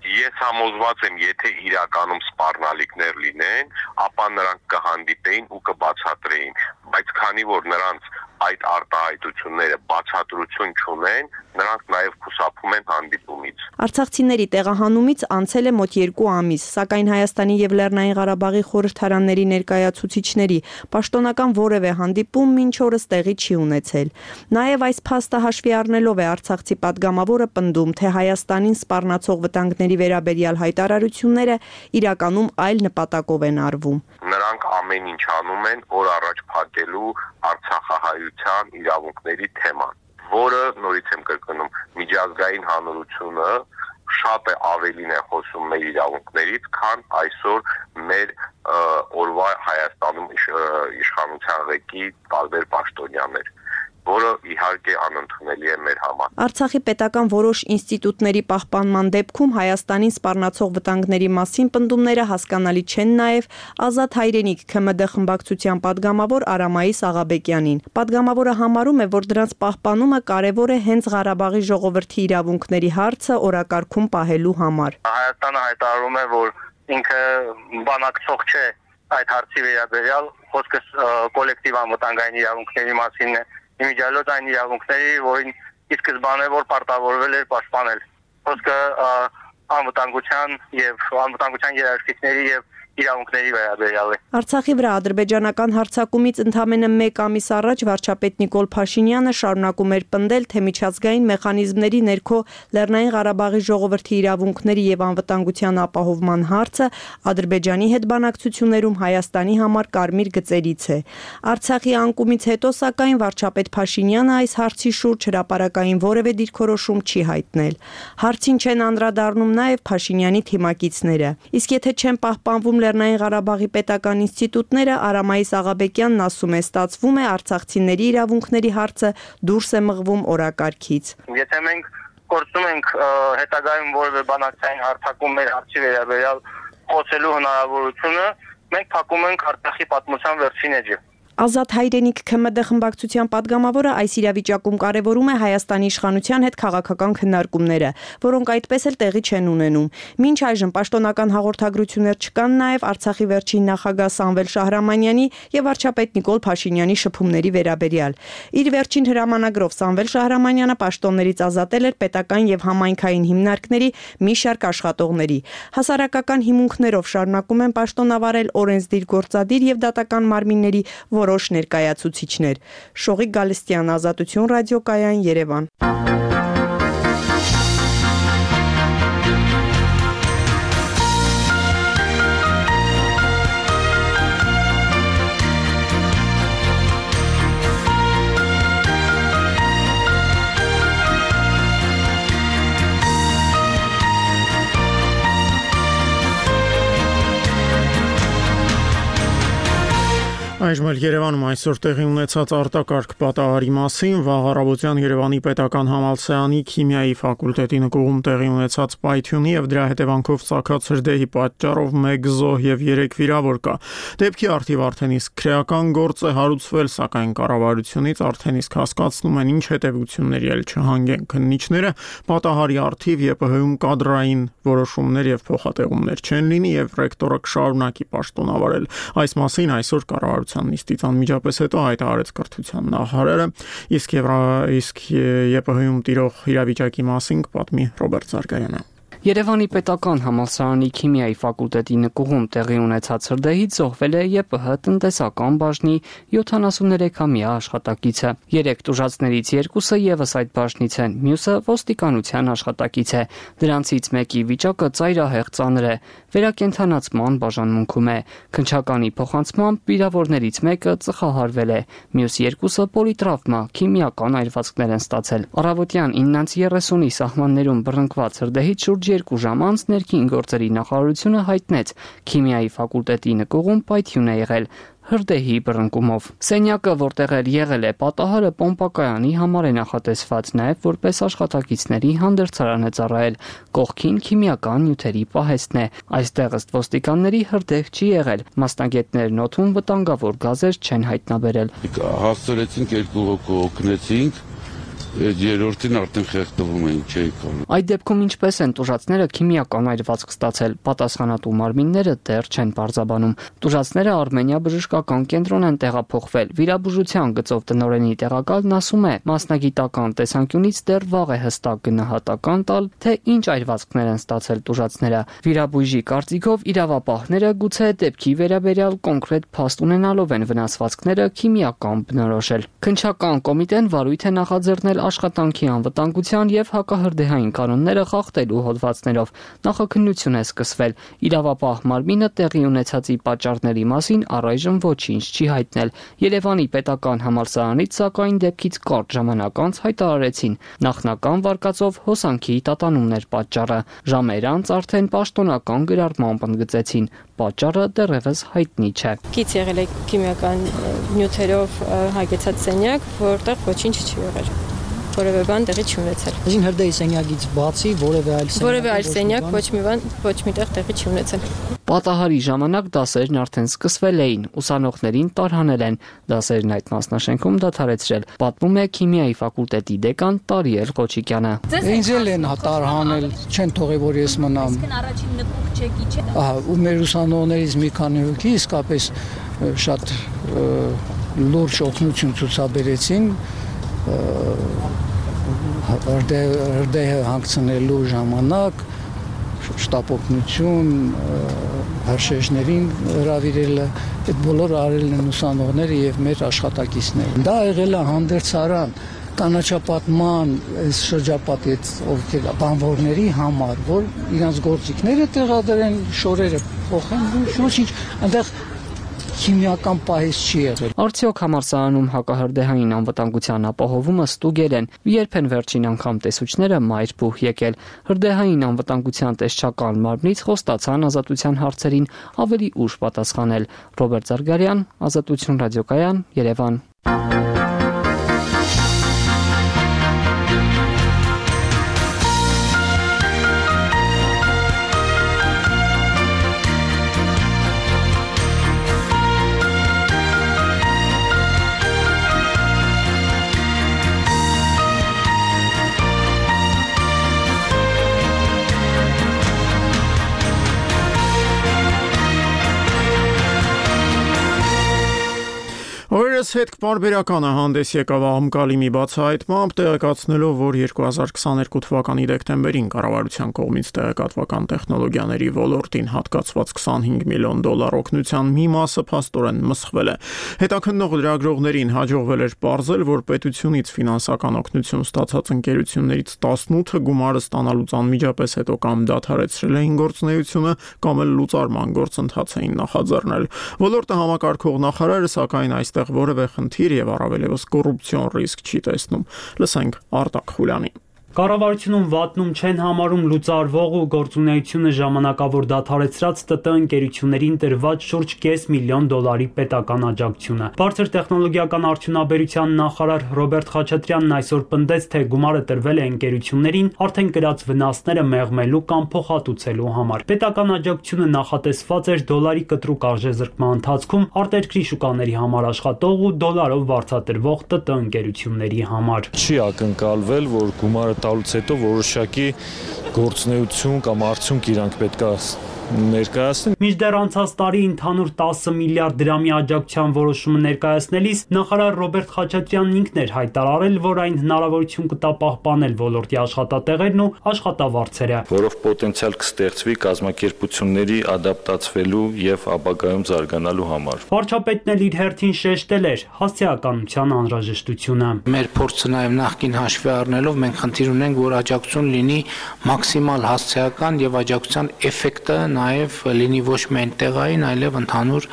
Ես համոզված եմ, եթե իրականում սպառնալիքներ լինեն, ապա նրանք կհանդիպեին ու կբացատրեին, բայց քանի որ նրանց այդ արտահայտությունները բացատրություն չունեն, նրանք նաև խուսափում են հանդիպումից։ Արցախցիների տեղահանումից անցել է մոտ երկու ամիս, սակայն Հայաստանի եւ Լեռնային Ղարաբաղի խորհրդարանների ներկայացուցիչների պաշտոնական որևէ հանդիպում մինչ օրս տեղի չի ունեցել։ Նաև այս փաստը հաշվի առնելով է Արցախցի падգամավորը պնդում, թե Հայաստանին սպառնացող վտանգների վերաբերյալ հայտարարությունները իրականում այլ նպատակով են արվում։ Նրանք ամեն ինչ անում են օր առաջ փակելու Արցախահայության իրավունքների թեման, որը նորից եմ կրկնում, միջազգային հանրությունը շատ է ավելին է խոսում մեր իրավունքներից, քան այսօր մեր օրվա Հայաստանում իշխանության ղեկի տարբեր պաշտոնյաներ, որը իհարկե անընդունելի է մեր համար։ Արցախի պետական որոշ ինստիտուտների պահպանման դեպքում Հայաստանին սպառնացող վտանգների մասին պնդումները հասկանալի չեն նաև Ազատ հայրենիք ՔՄԴ խմբակցության падգամավոր Արամայիս Աղաբեկյանին։ Падգամավորը համարում է, որ դրանց պահպանումը կարևոր է հենց Ղարաբաղի ժողովրդի իրավունքների հարցը օրակարգում պահելու համար։ Հայաստանը հայտարարում է, որ ինքը բանակցող չէ այդ հարցի վերաբերյալ, խոսքը կոլեկտիվ անվտանգային իրավունքների մասին է իմիջիալոց այն իրավունքների, որին ի սկզբանե որ պարտավորվել էր պաշտպանել։ Խոսքը անվտանգության եւ անվտանգության երաշխիքների եւ իրավունքների վերաբերյալ է։ Արցախի վրա ադրբեջանական հարձակումից ընդամենը մեկ ամիս առաջ վարչապետ Նիկոլ Փաշինյանը շարունակում էր պնդել, թե միջազգային մեխանիզմների ներքո Լեռնային Ղարաբաղի ժողովրդի իրավունքների եւ անվտանգության ապահովման հարցը Ադրբեջանի հետ բանակցություններում Հայաստանի համար կարմիր գծերից է։ Արցախի անկումից հետո սակայն վարչապետ Փաշինյանը այս հարցի շուրջ հրապարակային որևէ դիրքորոշում չի հայտնել։ Հարցին չեն անդրադառնում նաեւ Փաշինյանի թիմակիցները։ Իսկ եթե չեն պահպանվում Լեռնային Ղարաբաղի պետական ինստիտուտները, Արամայիս Աղաբեկյանն ասում է, ստացվում է արցախցիների իրավունքների հարցը դուրս է մղվում օրակարգից։ Եթե մենք կորցնում ենք հետագայում որևէ բանակցային հարթակում մեր հարցի վերաբերյալ խոսելու հնարավորությունը, մենք փակում ենք Արցախի պատմության վերջին էջը։ Ազատ հայրենիք ՔՄԴ խմբակցության падգամավորը այս իրավիճակում կարևորում է Հայաստանի իշխանության հետ քաղաքական քննարկումները, որոնք այդպես էլ տեղի չեն ունենում։ Մինչ այժմ պաշտոնական հաղորդագրություններ չկան նաև Արցախի վերջին նախագահ Սամվել Շահրամանյանի եւ վարչապետ Նիկոլ Փաշինյանի շփումների վերաբերյալ։ Իր վերջին հրամանագրով Սամվել Շահրամանյանը պաշտոններից ազատել էր պետական եւ համայնքային հիմնարկների մի շարք աշխատողների։ Հասարակական հիմունքներով շարունակում են պաշտոնավարել օրենսդիր գործադիր եւ դատական մարմինների որոշ ներկայացուցիչներ։ Շողիկ Գալստյան, Ազատություն ռադիոկայան, Երևան։ Այժմ էլ Երևանում այսօր տեղի ունեցած արտակարգ պատահարի մասին վաղ առավոտյան Երևանի պետական համալսարանի քիմիայի ֆակուլտետի նկուղում տեղի ունեցած պայթյունի եւ դրա հետևանքով ծագած հրդեհի պատճառով մեկ զոհ եւ երեք վիրավոր կա։ Դեպքի արդիվ արդեն իսկ քրեական գործ է հարուցվել, սակայն կառավարությունից արդեն իսկ հասկացնում են ինչ հետևությունների էլ չհանգեն քննիչները, պատահարի արդիվ ԵՊՀ-ում կադրային որոշումներ եւ փոխատեղումներ չեն լինի եւ ռեկտորը կշարունակի պաշտոնավարել։ Այս մասին այսօր կառավարության նիստից անմիջապես հետո հայտարարեց կրթության նախարարը, իսկ իսկ ԵՊՀ-ում տիրող իրավիճակի մասին կպատմի Ռոբերտ Զարգարյանը։ Երևանի պետական համալսարանի քիմիայի ֆակուլտետի նկուղում տեղի ունեցած հրդեհից զոհվել է ԵՊՀ տնտեսական բաժնի յոթանասուններեքամյա աշխատակիցը։ Երեք տուժածներից երկուսը եւս այդ բաժնից են, մյուսը ոստիկանության աշխատակից է։ Դրանցից մեկի վիճակը ծայրահեղ ծանր է, վերակենդանացման բաժանմունքում է։ Քննչականի փոխանցմամբ վիրավորներից մեկը ծխահարվել է, մյուս երկուսը պոլիտրավմա, քիմիական այրվածքներ են ստացել։ Առավոտյան իննից երեսունի սահմաններում բռնկված հրդեհից շուրջ երկու ժամ անց ներքին գործերի նախարարությունը հայտնեց քիմիայի ֆակուլտետի նկուղում պայթյուն է եղել հրդեհի բռնկումով։ Սենյակը, որտեղ էլ եղել է պատահարը, պոմպակայանի համար է նախատեսված, նաև որպես աշխատակիցների հանդերձարան է ծառայել։ Կողքին քիմիական նյութերի պահեստն է։ Այստեղ ըստ ոստիկանների հրդեհ չի եղել։ Մասնագետներն օդում վտանգավոր գազեր չեն հայտնաբերել։ Հասցրեցինք երկու հոգու օգնեցինք, երրորդին արդեն խեղդվում էին, չէի կարող։ Այդ դեպքում ինչպես են տուժածները քիմիական այրվածք ստացել, պատասխանատու մարմինները դեռ չեն պարզաբանում։ Տուժածները Արմենիա բժշկական կենտրոն են տեղափոխվել։ Վիրաբուժության գծով տնօրենի տեղակալն ասում է, մասնագիտական տեսանկյունից դեռ վաղ է հստակ գնահատական տալ, թե ինչ այրվածքներ են ստացել տուժածները։ Վիրաբույժի կարծիքով իրավապահները գուցե դեպքի վերաբերյալ կոնկրետ փաստ ունենալով են վնասվածքները քիմիական բնորոշել։ Քննչական կոմիտեն վարույթ է նախաձեռնել աշխատանքի անվտանգության եւ հակահրդեհային կանոնները խախտելու հոդվածներով։ Նախաքննություն է սկսվել։ Իրավապահ մարմինը տեղի ունեցածի պատճառների մասին առայժմ ոչինչ չի հայտնել։ Երևանի պետական համալսարանից սակայն դեպքից կարճ ժամանակ անց հայտարարեցին, նախնական վարկածով հոսանքի տատանումներ պատճառը։ Ժամեր անց արդեն պաշտոնական գրառմամբ ընդգծեցին, պատճառը դեռևս հայտնի չէ։ Կից եղել է քիմիական նյութերով հագեցած սենյակ, որտեղ ոչինչ չի եղել։ Որևէ բան տեղի չունեցել։ Այսին հրդեհի սենյակից բացի որևէ այլ սենյակ որևէ այլ սենյակ ոչ մի բան ոչ միտեղ տեղի չի ունեցել։ Պատահարի ժամանակ դասերն արդեն սկսվել էին, ուսանողներին տարհանել են, դասերն այդ մասնաշենքում դադարեցրել, պատմում է քիմիայի ֆակուլտետի դեկան Տարիել Ղոչիկյանը։ Ինձ էլ են տարհանել, չեն թողել որ ես մնամ։ Իսկ առաջին նպուկ չեկի չէ։ Ահա, ու մեր ուսանողներից մի քանի հոգի իսկապես շատ լուրջ օգնություն ցուցաբերեցին հրդեհը հանգցնելու ժամանակ շտապօգնություն, հրշեջներին հրավիրելը, այդ բոլորը արել են ուսանողները եւ մեր աշխատակիցները։ Դա եղել է հանդերձարան կանաչապատման այս շրջապատի այդ ովքեր բանվորների համար, որ իրանց գործիքները տեղադրեն, շորերը փոխեն, ոչինչ, այնտեղ քիմիական պահես չի եղել։ Արդյոք համալսարանում հակահրդեհային անվտանգության ապահովումը ստուգել են, երբ են վերջին անգամ տեսուչները մայրբուհ եկել։ Հրդեհային անվտանգության տեսչական մարմնից խոստացան ազատության հարցերին ավելի ուշ պատասխանել։ Ռոբերտ Զարգարյան, Ազատություն ռադիոկայան, Երևան։ Օրերս հետ պարբերականը հանդես եկավ աղմկալի մի բացահայտմամբ, տեղեկացնելով, որ երկու հազար քսաներկու թվականի դեկտեմբերին կառավարության կողմից տեղեկատվական տեխնոլոգիաների ոլորտին հատկացված քսանհինգ միլիոն դոլար օգնության մի մասը փաստորեն մսխվել է։ Հետաքննող լրագրողներին հաջողվել էր պարզել, որ պետությունից ֆինանսական օգնություն ստացած ընկերություններից տասնութը գումարը ստանալուց անմիջապես հետո կամ դադարեցրել էին գործունեությունը, կամ էլ լուծարման գործընթաց էին նախաձեռնել։ Ոլորտը համակարգող նախարարը սակայն այստեղ որևէ խնդիր եւ առավելևս կոռուպցիոն ռիսկ չի տեսնում։ Լսենք Արտակ Խուլյանին։ Կառավարությունում վատնում չեն համարում լուծարվող ու գործունեությունը ժամանակավոր դադարեցրած ՏՏ ընկերություններին տրված շուրջ կես միլիոն դոլարի պետական աջակցությունը։ Բարձր տեխնոլոգիական արդյունաբերության նախարար Ռոբերտ Խաչատրյանն այսօր պնդեց, թե գումարը տրվել է ընկերություններին արդեն կրած վնասները մեղմելու կամ փոխհատուցելու համար։ Պետական աջակցությունը նախատեսված էր դոլարի կտրուկ արժեզրկման ընթացքում արտերկրի շուկաների համար աշխատող ու դոլարով վարձատրվող ՏՏ ընկերությունների համար։ Չի ակնկալվել, որ գումարը տալուց հետո որոշակի գործունեություն կամ արդյունք իրանք պետք է ներկայացնեն։ Մինչդեռ անցած տարի ընդհանուր տասը միլիարդ դրամի աջակցության որոշումը ներկայացնելիս նախարար Ռոբերտ Խաչատրյանն ինքն էր հայտարարել, որ այն հնարավորություն կտա պահպանել ոլորտի աշխատատեղերն ու աշխատավարձերը, որով պոտենցիալ կստեղծվի կազմակերպությունների ադապտացվելու եւ ապագայում զարգանալու համար։ Վարչապետն էլ իր հերթին շեշտել էր հասցեականության անհրաժեշտությունը։ Մեր փորձը նաեւ նախկին հաշվի առնելով մենք խնդիր ունենք, որ աջակցություն լինի մաքսիմալ հասցեական եւ աջակցության էֆեկտը նաև լինի ոչ միայն տեղային, այլև ընդհանուր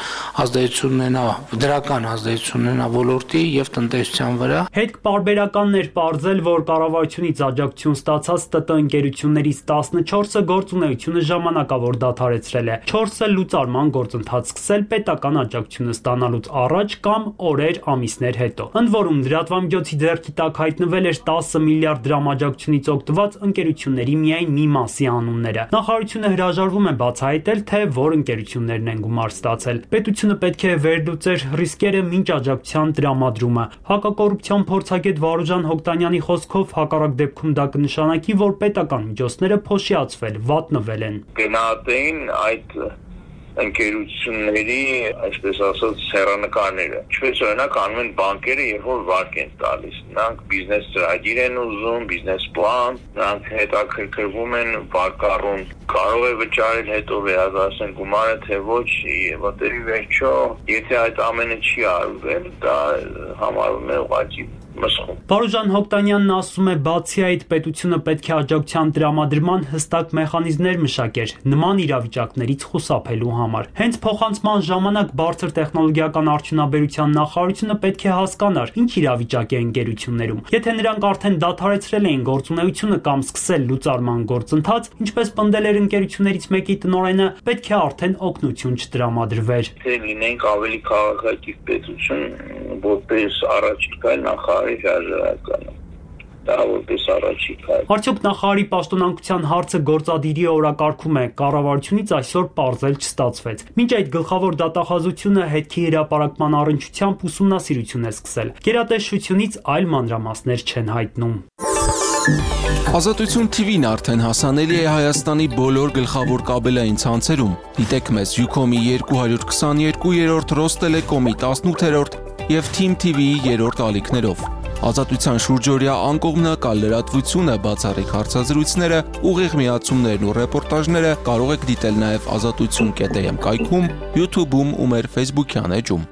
ազդեցություն ունենա, դրական ազդեցություն ունենա ոլորտի եւ տնտեսության վրա։ Հետ պարբերականն էր պարզել, որ կառավարությունից աջակցություն ստացած ՏՏ ընկերություններից տասնչորսը գործունեությունը ժամանակավոր դադարեցրել է, չորսը լուծարման գործընթաց սկսել պետական աջակցությունը ստանալուց առաջ կամ օրեր, ամիսներ հետո։ Ընդ որում լրատվամիջոցի ձեռքի տակ հայտնվել էր տասը միլիարդ դրամ աջակցությունից օգտված ընկերությունների միայն մի մասի անունները։ Նախարարությունը հրաժարվում է բացահայտել, թե որ ընկերություններն են գումար ստացել։ Պետությունը պետք է վերլուծեր ռիսկերը մինչ աջակցության տրամադրումը։ Հակակոռուպցիոն փորձագետ Վարուժան Հոկտանյանի խոսքով հակառակ դեպքում դա կնշանակի, որ պետական միջոցները փոշիացվել, վատնվել են։ Գնահատեին այդ ընկերությունների, այսպես ասած, հեռանկարները։ Ինչպես օրինակ անում են բանկերը, երբ որ վարկ են տալիս։ Նրանք բիզնես ծրագիր են ուզում, բիզնես պլան, նրանք հետաքրքրվում են վարկառուն, կարող է վճարել, հետո վերադարձնել գումարը, թե ոչ, եւ ոտերի վերջո, եթե այդ ամենը չի արվել, դա համարվում է ուղղակի մսխում։ Վարուժան Հոկտանյանն ասում է, բացի այդ պետությունը պետք է աջակցության տրամադրման հստակ մեխանիզմներ մշակեր նման իրավիճակներից խուսափելու համար։ Հենց փոխանցման ժամանակ բարձր տեխնոլոգիական արդյունաբերության նախարարությունը պետք է հասկանար, ինչ իրավիճակ է ընկերություններում։ Եթե նրանք արդեն դադարեցրել էին գործունեությունը կամ սկսել լուծարման գործընթաց, ինչպես պնդել էր ընկերություններից մեկի տնօրենը, պետք է արդեն օգնություն չտրամադրվեր։ Թե լինենք ավելի քաղաքակիր պետություն, որպես առաջիկա նախարարի հրաժարականը։ Դա որպես առաջիկա։ Արդյոք նախարարի պաշտոնանկության հարցը գործադիրի օրակարգում է, կառավարությունից այսօր պարզել չստացվեց։ Մինչ այդ գլխավոր դատախազությունը հետքի հրապարակման առնչությամբ ուսումնասիրություն է սկսել։ Գերատեսչությունից այլ մանրամասներ չեն հայտնում։ Ազատություն թի վին արդեն հասանելի է Հայաստանի բոլոր գլխավոր կաբելային ցանցերում։ Դիտեք մեզ Յուքոմի երկու հարյուր քսաներկու երրորդ, Ռոստելեկոմի տասնութերորդ և Թիմ թի վիի երրորդ ալիքներով։ Ազատության շուրջօրյա անկողմնակալ լրատվությունը, բացառիկ հարցազրույցները, ուղիղ միացումներն ու ռեպորտաժները կարող եք դիտել նաև ազատություն կետ էմ կայքում, YouTube-ում ու մեր Facebook-յան էջում։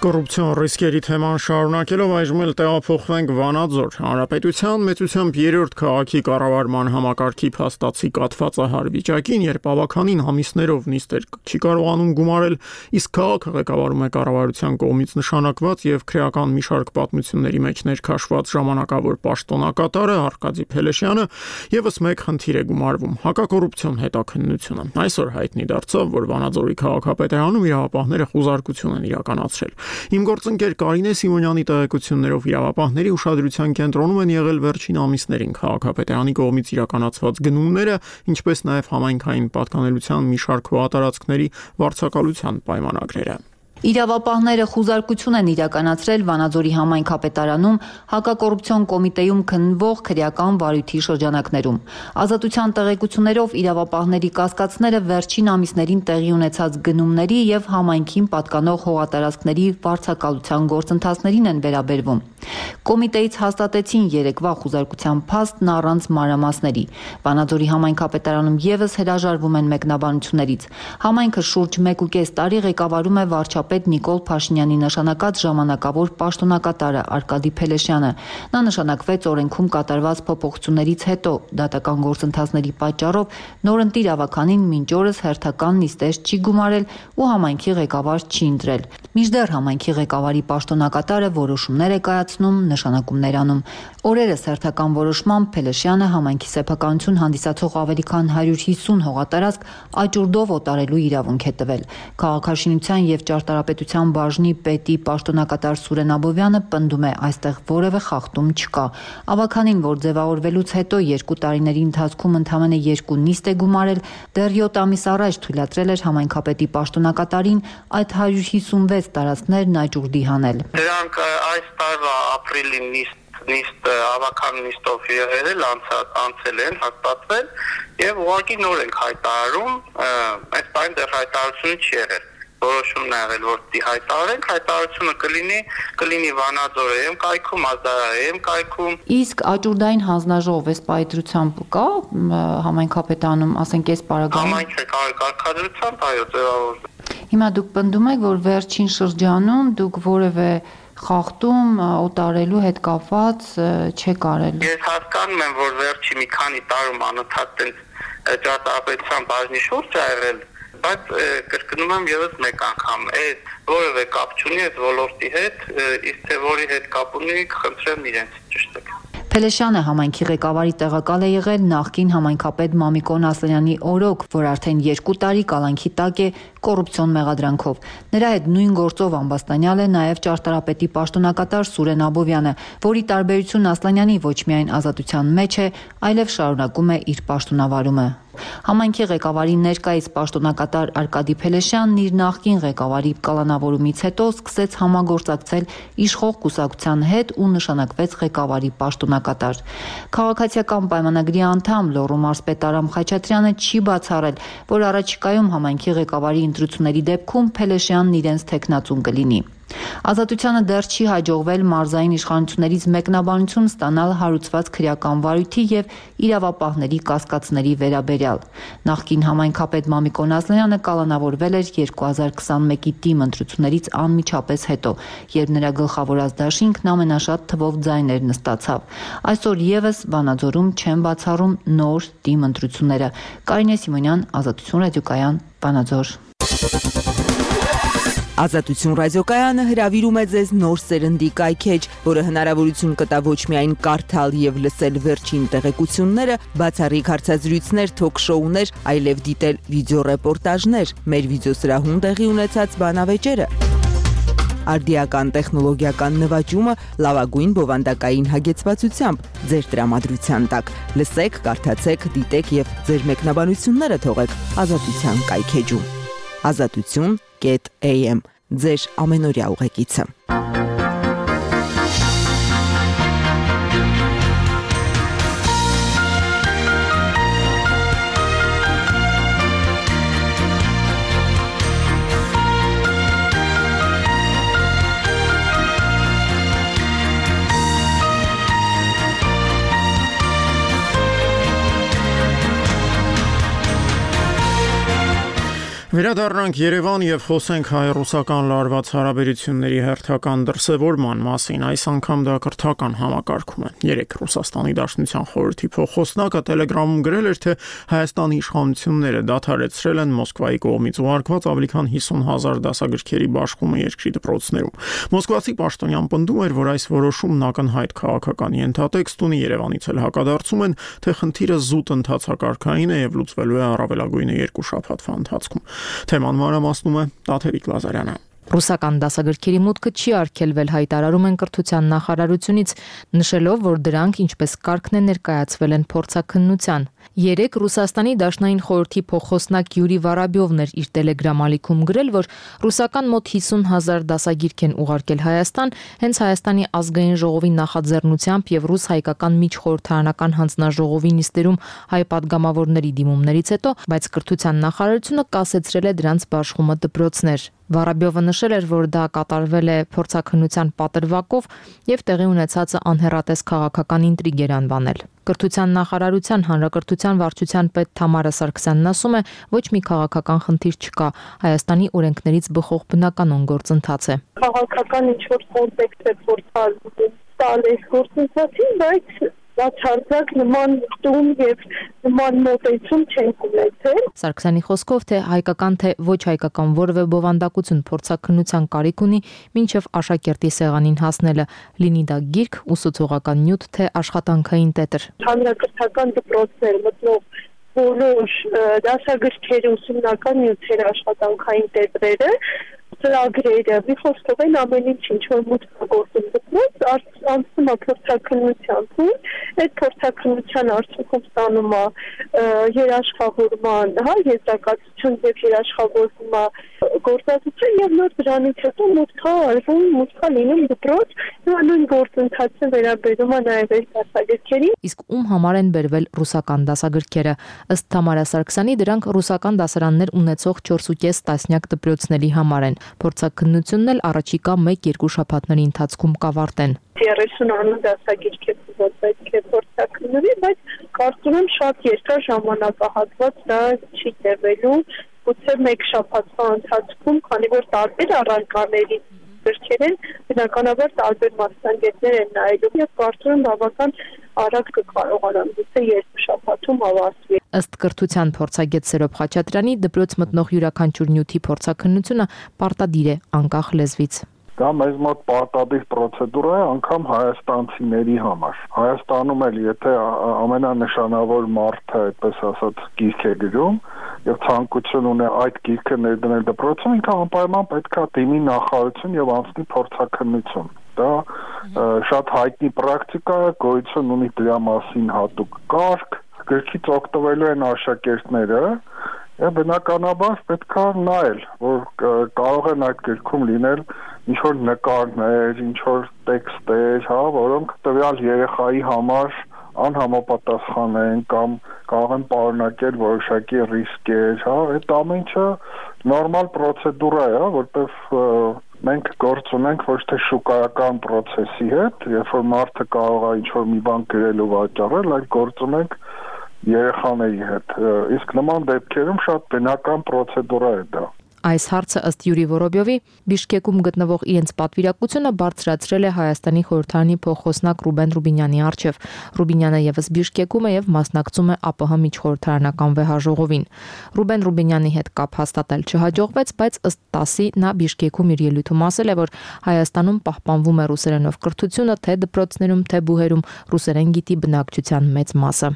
Կոռուպցիոն ռիսկերի թեման շարունակելով այժմ էլ տեղափոխվենք Վանաձոր։ Հանրապետության մեծությամբ երրորդ քաղաքի կառավարման համակարգի փաստացի կաթվածահար վիճակին, երբ ավականին ամիսներով նիստեր չի կարողանում գումարել, իսկ քաղաքը ղեկավարում է կառավարության կողմից նշանակված եւ քրեական մի շարք պատմությունների մեջ ներքաշված ժամանակավոր պաշտոնակատարը Արկադի Փելեշյանը եւս մեկ խնդիր է գումարվում՝ հակակոռուպցիոն հետաքննությունը։ Այսօր հայտնի դարձավ, որ Վանաձորի քաղաքապետարանում իրավապահները խուզարկություն են իրականացրել։ Իմ գործընկեր Կարինե Սիմոնյանի տեղեկություններով իրավապահների ուշադրության կենտրոնում են եղել վերջին ամիսներին քաղաքապետարանի կողմից իրականացված գնումները, ինչպես նաև համայնքային պատկանելության մի շարք հողատարածքների վարձակալության պայմանագրերը։ Իրավապահները խուզարկություն են իրականացրել Վանաձորի համայնքապետարանում հակակոռուպցիոն կոմիտեում քննվող քրեական վարույթի շրջանակներում։ Ազատության տեղեկություններով իրավապահների կասկածները վերջին ամիսներին տեղի ունեցած գնումների եւ համայնքին պատկանող հողատարածքների վարձակալության գործընթացներին են վերաբերվում։ Կոմիտեից հաստատեցին երեկվա խուզարկության փաստն առանց մանրամասների։ Վանաձորի համայնքապետարանում եւս հրաժարվում են մեկնաբանություններից։ Համայնքը շուրջ մեկ ու կես տարի ղեկավարում է վարչապետ Նիկոլ Փաշինյանի նշանակած ժամանակավոր պաշտոնակատարը Արկադի Փելեշյանը։ Նա նշանակվեց օրենքում կատարված փոփոխություններից հետո դատական գործընթացների պատճառով նորընտիր ավականին մինչ օրս հերթական նիստեր չի գումարել ու համայնքի ղեկավար չի ընտրել։ Մինչդեռ համայնքի ղեկավարի պաշտոնակատարը որոշումներ է կայացնում, նշանակումներ անում։ Օրերս հերթական որոշմամբ Փելեշյանը համայնքի սեփականություն հանդիսացող ավելի քան հարյուր հիսուն հողատարածք աճուրդով օտարելու իրավունք է տվել։ Քաղաքաշինության եւ ճարտարապետության բաժնի պետի պաշտոնակատար Սուրեն Աբովյանը պնդում է, այստեղ որևէ խախտում չկա։ Ավականին, որ ձևավորվելուց հետո երկու տարիների ընթացքում ընդամենը երկու նիստ է գումարել, դեռ յոթ ամիս առաջ թույլատրել էր համայնքապետի պաշտոնակատարին այդ հարյուր հիսունվեց տարածքներն աճուրդի հանել։ Դրանք այս տարվա ապրիլի նիստ նիստ ավական նիստով եղել անցել են հաստատվել եւ ուղղակի նոր ենք հայտարարում, այս բան դեռ հայտարարությունը չի եղել։ Որոշումն է եղել, որ դի հայտարարենք, հայտարարությունը կլինի, կլինի Վանաձորի կայքում, Ազդարայի կայքում։ Իսկ աճուրդային հանձնաժողով էս պայծրությամբ կա համայնքապետանում, ասենք այս պարագայում։ Համայնքի կարգադրությամբ, այո, ձևավորվել։ Հիմա դուք պնդում եք, որ վերջին շրջանում դուք որևէ խախտում օտարելու հետ կապված չեք արել։ Ես հասկանում եմ, որ վերջի մի քանի տարում անընդհատ ճարտարապետության բաժնի շուրջ ա եղել, բայց կրկնում եմ եւս մեկ անգամ, այդ որևէ կապ չունի այդ ոլորտի հետ, իսկ թե որի հետ կապ ունի, կխնդրեմ իրենց ճշտեք։ Փելեշյանը համայնքի ղեկավարի տեղակալ է եղել նախկին համայնքապետ Մամիկոն Ասլանյանի օրոք, որ արդեն երկու տարի կալանքի տակ է կոռուպցիոն մեղադրանքով։ Նրա հետ նույն գործով ամբաստանյալ է նաև ճարտարապետի պաշտոնակատար Սուրեն Աբովյանը, որի տարբերություն Ասլանյանի ոչ միայն ազատության մեջ է, այլև շարունակում է իր պաշտոնավարումը։ Համայնքի ղեկավարի ներկայիս պաշտոնակատար Արկադի Փելեշյանն իր նախկին ղեկավարի կալանավորումից հետո սկսեց համագործակցել իշխող կուսակցության հետ ու նշանակվեց ղեկավարի պաշտոնակատար։ Քաղաքացիական պայմանագրի անդամ Լոռու մարզպետ Արամ Խաչատրյանը չի բացառել, որ առաջիկայում համայնքի ղեկավարի ընտրությունների դեպքում Փելեշյանն իրենց թեկնածուն կլինի։ Ազատությանը դեռ չի հաջողվել մարզային իշխանություններից մեկնաբանություն ստանալ հարուցված քրեական վարույթի եւ իրավապահների կասկածների վերաբերյալ։ Նախկին համայնքապետ Մամիկոն Ասլանյանը կալանավորվել էր երկու հազար քսանմեկի թիմ ընտրություններից անմիջապես հետո, երբ նրա գլխավորած դաշինքն ամենաշատ թվով ձայներ նստացավ։ Այսօր եւս Վանաձորում չեն բացառում նոր թիմ ընտրությունները։ Կարինե Սիմոնյան, Ազատություն ռադիոկայան, Վանաձոր։ Ազատություն ռադիոկայանը հրավիրում է ձեզ նոր սերնդի կայքեջ, որը հնարավորություն կտա ոչ միայն կարդալ եւ լսել վերջին տեղեկությունները, բացառիկ հարցազրույցներ, թոք-շոուներ, այլև դիտել վիդեոռեպորտաժներ, մեր վիդեոսրահում տեղի ունեցած բանավեճերը։ Արդիական տեխնոլոգիական նվաճումը լավագույն բովանդակային հագեցվածությամբ ձեր տրամադրության տակ։ Լսեք, կարդացեք, դիտեք եւ ձեր մեկնաբանությունները թողեք Ազատության կայքեջում։ ազատություն կետ a m ձեր ամենօրյա ուղեկիցը։ Վերադառնանք Երևան եւ խոսենք հայ-ռուսական լարված հարաբերությունների հերթական դրսևորման մասին։ Այս անգամ դա կրթական համակարգում է։ Երեք Ռուսաստանի Դաշնության խորհրդի փոխոսնակը Telegram-ում գրել էր, թե Հայաստանի իշխանությունները դադարեցրել են Մոսկվայի կողմից ուղարկված ավելի քան հիսուն հազար դասագրքերի բաշխումը երկրի դպրոցներում։ Մոսկվացի պաշտոնյան պնդում էր, որ այս որոշումն ակնհայտ քաղաքական ենթատեքստ ունի, Երևանից էլ հակադարձում են, թե խնդիրը զուտ ընթացակարգային է եւ լուծվելու է առավելագույնը երկու շաբաթվա ընթացքում։ Թեման մանրամասնում է Տաթևիկ Լազարյանը։ Ռուսական դասագրքերի մուտքը չի արգելվել, հայտարարում են կրթության նախարարությունից, նշելով, որ դրանք ինչպես կարգն է ներկայացվել են փորձաքննության։ Երեք Ռուսաստանի Դաշնային խորհրդի փոխոսնակ Յուրի Վարաբյովն էր իր Telegram ալիքում գրել, որ ռուսական մոտ հիսուն հազար դասագիրք են ուղարկել Հայաստան, հենց Հայաստանի ազգային ժողովի նախաձեռնությամբ եւ ռուս-հայկական միջխորհրդարանական հանձնաժողովի նիստերում հայ падգամավորների դիմումներից հետո, բայց կրթության նախարարությունը կասեցրել է դրանց բաշխումը դպրոցներ։ Վարաբյովը նշել էր, որ դա կատարվել է փորձաքննության պատրվակով եւ տեղի ունեցածը անհեռատես քաղաքական ինտրիգ էր անվանել։ Կրթության նախարարության հանրակրթության վարչության պետ Թամարա Սարգսյանն ասում է, ոչ մի քաղաքական խնդիր չկա, Հայաստանի օրենքներից բխող բնականon գործընթաց է։ Քաղաքական ինչ-որ կոնտեքստ է փորձալ տալ այս գործընթացին, բայց բացարձակ նման տուն եւ նման մոտեցում չեն ունեցել։ Սարգսյանի խոսքով, թե հայկական թե ոչ հայկական որևէ բովանդակություն փորձաքննության կարիք ունի, մինչև աշակերտի սեղանին հասնելը, լինի դա գիրք, ուսուցողական նյութ, թե աշխատանքային տետր։ Հանրակրթական դպրոցներ մտնող բոլոր դասագրքերի ուսումնական նյութերը, աշխատանքային տետրերը, ծրագրերը, մի խոսքով են ամեն ինչ ինչ որ մուտքագործում դպրոց, անցնում է փորձաքննության փուլ, այդ փորձաքննության արդյունքում ստանում է երաշխավորման, հա, եզրակացություն եւ երաշխավորվում է գործածություն եւ նոր դրանից հետո մուտքա արվում, մուտքա լինում դպրոց, նույն գործընթացը վերաբերում է նաեւ այս դասագրքերին։ Իսկ ում համար են բերվել ռուսական դասագրքերը։ Ըստ Թամարա Սարգսյանի, դրանք ռուսական դասարաններ ունեցող չորսուկես տասնյակ դպրոցների համար են։ Փորձաքննությունն էլ առաջիկա մեկ-երկու շաբաթների ընթացքում կավարտեն։ երեսուն անուն դասագիրք է պետք է փորձաքննվի, բայց կարծում եմ շատ երկար ժամանակահատված դա չի տևելու, գուցե մեկ շաբաթվա ընթացքում, քանի որ տարբեր առարկաների գրքեր են, բնականաբար տարբեր մասնագետներ են նայելու եւ կարծում եմ բավական արագ կկարողանան գուցե երկու շաբաթում ավարտվի։ Ըստ կրթության փորձագետ Սերոբ Խաչատրյանի, դպրոց մտնող յուրաքանչյուր նյութի փորձաքննությունը պարտադիր է անկախ լեզվից։ Դա մեզ մոտ պարտադիր պրոցեդուրա է անգամ հայաստանցիների համար։ Հայաստանում էլ եթե ամենանշանավոր մարդը, այդպես ասած, գիրք է գրում եւ ցանկություն ունի այդ գիրքը ներդնել դպրոցում, ինքը անպայման պետք է դիմի նախարարություն եւ անցնի փորձաքննություն։ Դա շատ հայտնի պրակտիկա է, գոյություն ունի դրա մասին հատուկ կարգ, գրքից օգտվելու են աշակերտները եւ բնականաբար պետք է նայել, որ կարող են այդ գրքում լինել ինչ որ նկարներ, ինչ որ տեքստեր, հա, որոնք տվյալ երեխայի համար անհամապատասխան են կամ կարող են պարունակել որոշակի ռիսկեր, հա, այդ ամեն ինչը նորմալ պրոցեդուրա է, որտեղ մենք գործ ունենք ոչ թե շուկայական process-ի հետ, երբ որ մարդը կարող է ինչ որ մի բան գրել ու վաճառել, այլ գործ ունենք երեխաների հետ։ Իսկ նման դեպքերում շատ բնական պրոցեդուրա է դա։ Այս հարցը ըստ Յուրի Վորոբյովի Բիշկեկում գտնվող իրենց պատվիրակությունը բարձրացրել է Հայաստանի խորհրդարանի փոխոսնակ Ռուբեն Ռուբինյանի առջև։ Ռուբինյանը եւս Բիշկեկում է եւ մասնակցում է ԱՊՀ միջխորհրդարանական վեհաժողովին։ Ռուբեն Ռուբինյանի հետ կապ հաստատել չհաջողվեց, բայց ըստ ՏԱՍ-ի նա Բիշկեկում իր ելույթում ասել է, որ Հայաստանում պահպանվում է ռուսերենով կրթությունը, թե դպրոցներում, թե բուհերում ռուսերեն գիտի բնակչության մեծ մասը։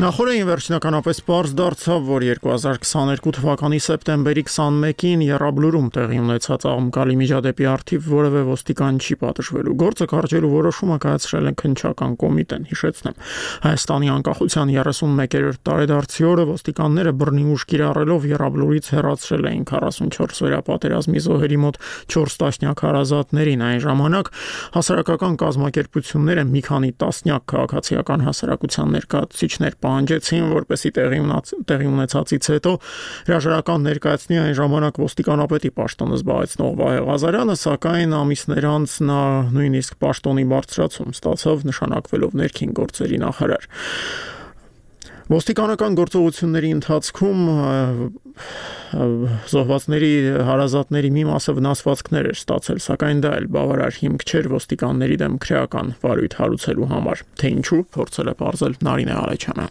Նախորդին վերջնականապես պարզ դարձավ, որ երկու հազար քսաներկու թվականի սեպտեմբերի քսանմեկին Եռաբլուրում տեղի ունեցած աղմկալի միջադեպի առթիվ որևէ ոստիկան չի պատժվելու։ Գործը կարճելու որոշումը կայացրել են քննչական կոմիտեն, հիշեցնեմ։ Հայաստանի անկախության երեսունմեկերորդ տարեդարձի օրը ոստիկանները բռնի ուժ կիրառելով Եռաբլուրից հեռացրել էին քառասունչորս-օրյա պատերազմի զոհերի մոտ չորս տասնյակ հարազատներին։ Այն ժամանակ հասարակական կազմակերպությունները մի քանի տասնյակ քաղաքացիական հասարակության ներկայացուցիչներ պահանջեցին, որպեսզի տեղի տեղի ունեցածից հետո հրաժարական ներկայացնի այն ժամանակ ոստիկանապետի պաշտոնը զբաղեցնող Վահե Ղազարյանը, սակայն ամիսներ անց նա նույնիսկ պաշտոնի բարձրացում ստացավ, նշանակվելով ներքին գործերի նախարար։ Ոստիկանական գործողությունների ընթացքում զոհվածների հարազատների մի մասը վնասվածքներ էր ստացել, սակայն դա էլ բավարար հիմք չէր ոստիկանների դեմ քրեական վարույթ հարուցելու համար։ Թե ինչու, փորձել է պարզել Նարինե Ալեչյանը։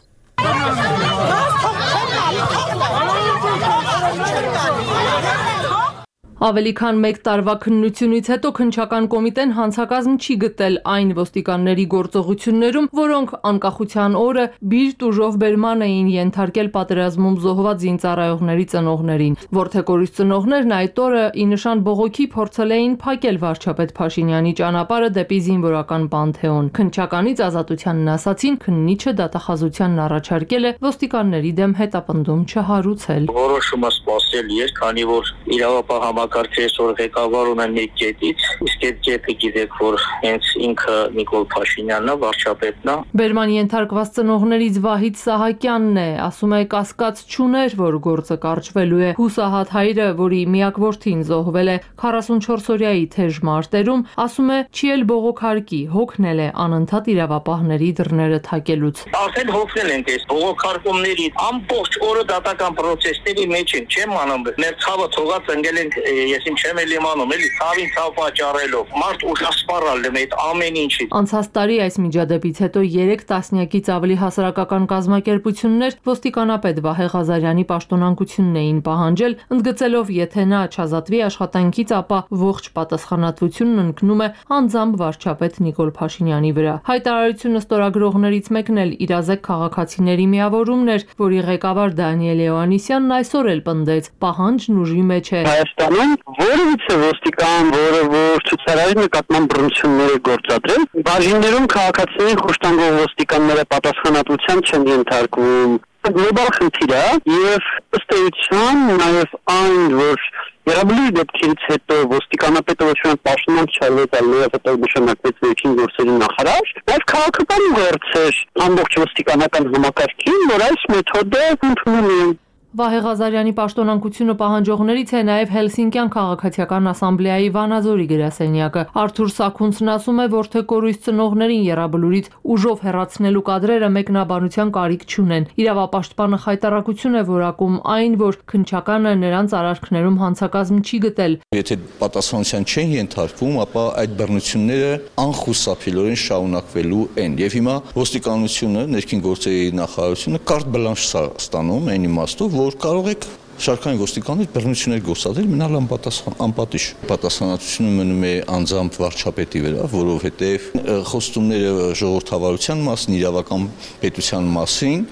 Ավելի քան մեկ տարվա քննությունից հետո քննչական կոմիտեն հանցակազմ չի գտել այն ոստիկանների գործողություններում, որոնք անկախության օրը բիրտ ուժով բերման էին ենթարկել պատերազմում զոհված զինծառայողների ծնողներին։ Որդեկորից ծնողներն այդ օրը ի նշան բողոքի փորձել էին փակել վարչապետ Փաշինյանի ճանապարհը դեպի զինվորական Պանթեոն։ Քննչականից ազատությանն ասացին, քննիչը դատախազությանն առաջարկել է ոստիկանների դեմ հետապնդում չհարուցել։ Որոշումը սպասելի էր, քանի որ իրավապահ Կարգեշոր ղեկավար ունեն մի կետից, իսկ այդ կետը գիտեք, որ հենց ինքը Նիկոլ Փաշինյանն է, վարչապետն է։ Բերման ենթարկված ծնողներից Վահիթ Սահակյանն է, ասում է կասկած չուներ, որ գործը կարճվելու է։ Հուսահատ հայրը, որի միակ որդին զոհվել է քառասունչորս-օրյայի թեժ մարտերում, ասում է չի էլ բողոքարկի, հոգնել է անընդհատ իրավապահների դռները թակելուց։ Արդեն հոգնել ենք այս բողոքարկումների ամբողջ օրը դատական պրոցեսների մեջ են, չեմ անում, մեր ցավը թողած ընկել ենք ես ինչ չեմ էլ իմանում, էլի ցավին ցավ պատճառելով, մարդ ուշասպառալ եմ այդ ամեն ինչի։ Անցած տարի այս միջադեպից հետո երեք տասնյակից ավելի հասարակական կազմակերպություններ ոստիկանապետ Վահե Ղազարյանի պաշտոնանկությունն էին պահանջել, ընդգծելով, եթե նա չազատվի աշխատանքից, ապա ողջ պատասխանատվությունն ընկնում է անձամբ վարչապետ Նիկոլ Փաշինյանի վրա։ Հայտարարությունը ստորագրողներից մեկն էլ իրազեկ քաղաքացիների միավորումն էր, որի ղեկավար Դանիել Հովհաննիսյանն այսօր էլ պնդեց, պահանջն ուժի մեջ է։ Հայաստանում որևիցե ոստիկան, որը որ ցուցարարի նկատմամբ բռնություններ է գործադրել, բաժիններում քաղաքացիներին խոշտանգող ոստիկանները պատասխանատվության չեն ենթարկվում։ Գլոբալ խնդիր է եւ ըստ էության նաեւ այն, որ Եռաբլուրի դեպքերից հետո ոստիկանապետը ոչ միայն պաշտոնանկ չարվեց, այլև հետո նշանակվեց վերջին գործերի նախարար, նաեւ քաղաքական գործ էր ամբողջ ոստիկանական համակարգին, որ այս մեթոդը ընդունում է։ Վահե Ղազարյանի պաշտոնանկությունը պահանջողներից է նաև Հելսինկյան քաղաքացիական ասամբլեայի Վանաձորի գրասենյակը։ Արթուր Սաքունցն ասում է, որ թե կորույս ծնողներին Եռաբլուրից ուժով հեռացնելու կադրերը մեկնաբանության կարիք չունեն։ Իրավապաշտպանը խայտառակություն է որակում այն, որ քննչականը նրանց արարքներում հանցակազմ չի գտել։ Եթե պատասխանատվության չեն ենթարկվում, ապա այդ բռնությունները անխուսափելիորեն շարունակվելու են։ Եվ հիմա ոստիկանությունը, ներքին գործերի նախարարությունը կարտ բլանշ ստանում այն իմաստով, որ կարող եք շարքային ոստիկաններ բռնություններ գործադրել, մնալ անպատիժ։ Պատասխանատվությունը մնում է անձամբ վարչապետի վրա, որովհետև խոստումները ժողովրդավարության մասին, իրավական պետության մասին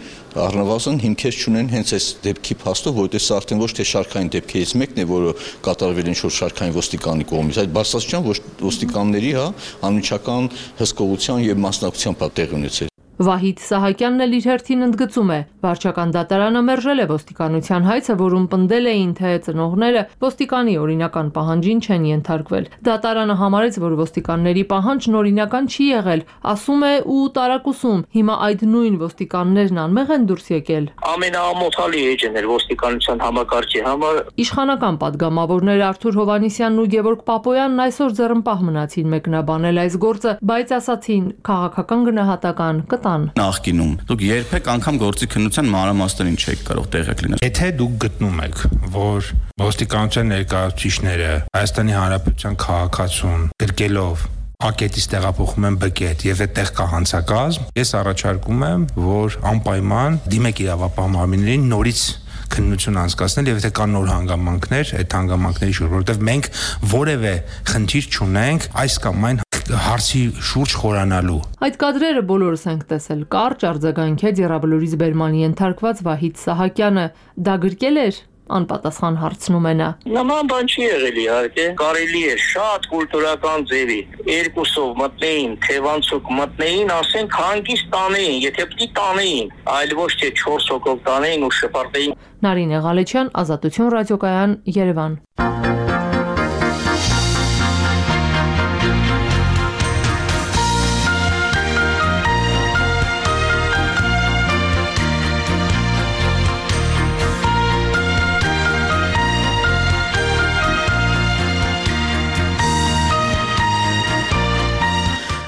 առնվազն հիմքեր չունեն հենց այս դեպքի փաստով, որովհետև սա արդեն ոչ թե շարքային դեպքերից մեկն է, որը կատարվել ինչ-որ շարքային ոստիկանի կողմից, այլ բարձրաստիճան ոստիկանների, հա, անմիջական հսկողության եւ մասնակցությամբ տեղի ունեցել։ Վահիթ Սահակյանն էլ իր հերթին ընդգծում է, վարչական դատարանը մերժել է ոստիկանության հայցը, որում պնդել էին, թե ծնողները ոստիկանի օրինական պահանջին չեն ենթարկվել։ Դատարանը համարեց, որ ոստիկանների պահանջն օրինական չի եղել, ասում է ու տարակուսում, հիմա այդ նույն ոստիկաններն անմեղ են դուրս եկել։ Ամենաամոթալի էջն էր ոստիկանության համակարգի համար։ Իշխանական падգամավորներ Արթուր Հովհաննիսյանն ու Գևորգ Պապոյանն այսօր ձեռնպահ մնացին մեկնաբանել այս գործը, բայց ասացին քաղաքական գնահատական Նախկինում դուք երբեք անգամ գործի քննության մանրամասներին չեք կարող տեղյակ լինել։ Եթե դուք գտնում եք, որ ոստիկանության ներկայացուցիչները Հայաստանի Հանրապետության քաղաքացուն գրկելով ակետից տեղափոխում են բկետ եւ այդտեղ կա հանցակազմ, ես առաջարկում եմ, որ անպայման դիմեք իրավապահ մարմիններին նորից քննություն անցկացնել եւ եթե կան նոր հանգամանքներ, այդ հանգամանքների շուրջ, որովհետեւ մենք որևէ խնդիր չունենք այս կամ այն այդ հարցի շուրջ խորանալու։ Այդ կադրերը բոլորս ենք տեսել։ Կարճ արձագանքեց Եռաբլուրից բերման ենթարկված Վահիթ Սահակյանը։ Դա գրկել էր, անպատասխան հարցնում է նա։ Նման բան չի եղել իհարկե, կարելի է շատ կուլտուրական ձևի երկուսով մտնեին, թևանցուկ մտնեին, ասենք հանգիստ տանեին, եթե պիտի տանեին, այլ ոչ թե չորս հոգով տանեին ու շպրտեին։ Նարինե Ղալեչյան, Ազատություն ռադիոկայան, Երևան։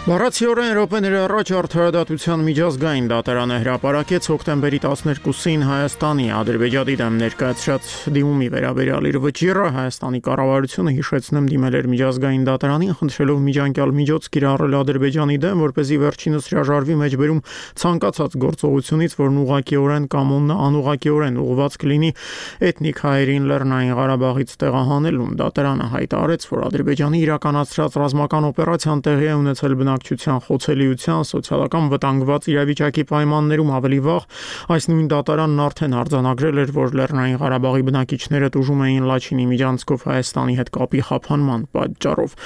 Բառացիորեն րոպեների առաջ արդարադատության միջազգային դատարանը հրապարակեց հոկտեմբերի տասներկուսին Հայաստանի Ադրբեջանի դեմ ներկայացրած դիմումի վերաբերյալ իր վճիռը Հայաստանի կառավարությունը հիշեցնեմ դիմել էր միջազգային դատարանին, խնդրելով միջանկյալ միջոց կիրառել Ադրբեջանի դեմ, որպեսզի վերջինս հրաժարվի մեջբերում ցանկացած գործողությունից, որն ուղղակիորեն կամ անուղղակիորեն ուղղված կլինի էթնիկ հայերին Լեռնային Ղարաբաղից տեղահանելուն։ Դատարանը հայտարարեց, որ Ադրբեջանի իրականացրած ռազմական օպերացիան տեղի է ունեցել բնակչության խոցելիության, սոցիալական վտանգված իրավիճակի պայմաններում ավելի վաղ այս նույն դատարանն արդեն արձանագրել էր, որ Լեռնային Ղարաբաղի բնակիչները տուժում էին Լաչինի միջանցքով Հայաստանի հետ կապի խափանման պատճառով։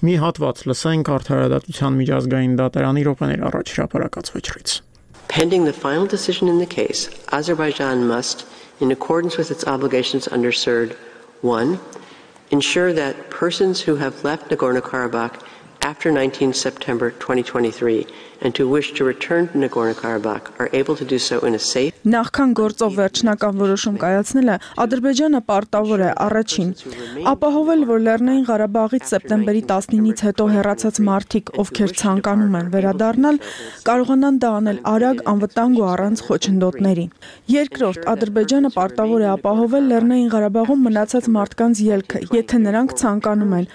Մի հատված լսենք արդարադատության միջազգային դատարանի րոպեներ առաջ հրապարակած վճռից։ Pending the final decision in the case, Azerbaijan must, in accordance with its obligations under C E R D one, ensure that persons who have left Nagorno-Karabakh after nineteenth September twenty twenty-three and who wish to return to Nagorno-Karabakh are able to do so in a safe. Նախքան գործով վերջնական որոշում կայացնելը Ադրբեջանը պարտավոր է առաջին ապահովել, որ Լեռնային Ղարաբաղից սեպտեմբերի տասնինից հետո հեռացած մարդիկ, ովքեր ցանկանում են վերադառնալ, կարողանան դա անել արագ, անվտանգ ու առանց խոչընդոտների։ Երկրորդ, Ադրբեջանը պարտավոր է ապահովել Լեռնային Ղարաբաղում մնացած մարդկանց ելքը, եթե նրանք ցանկանում են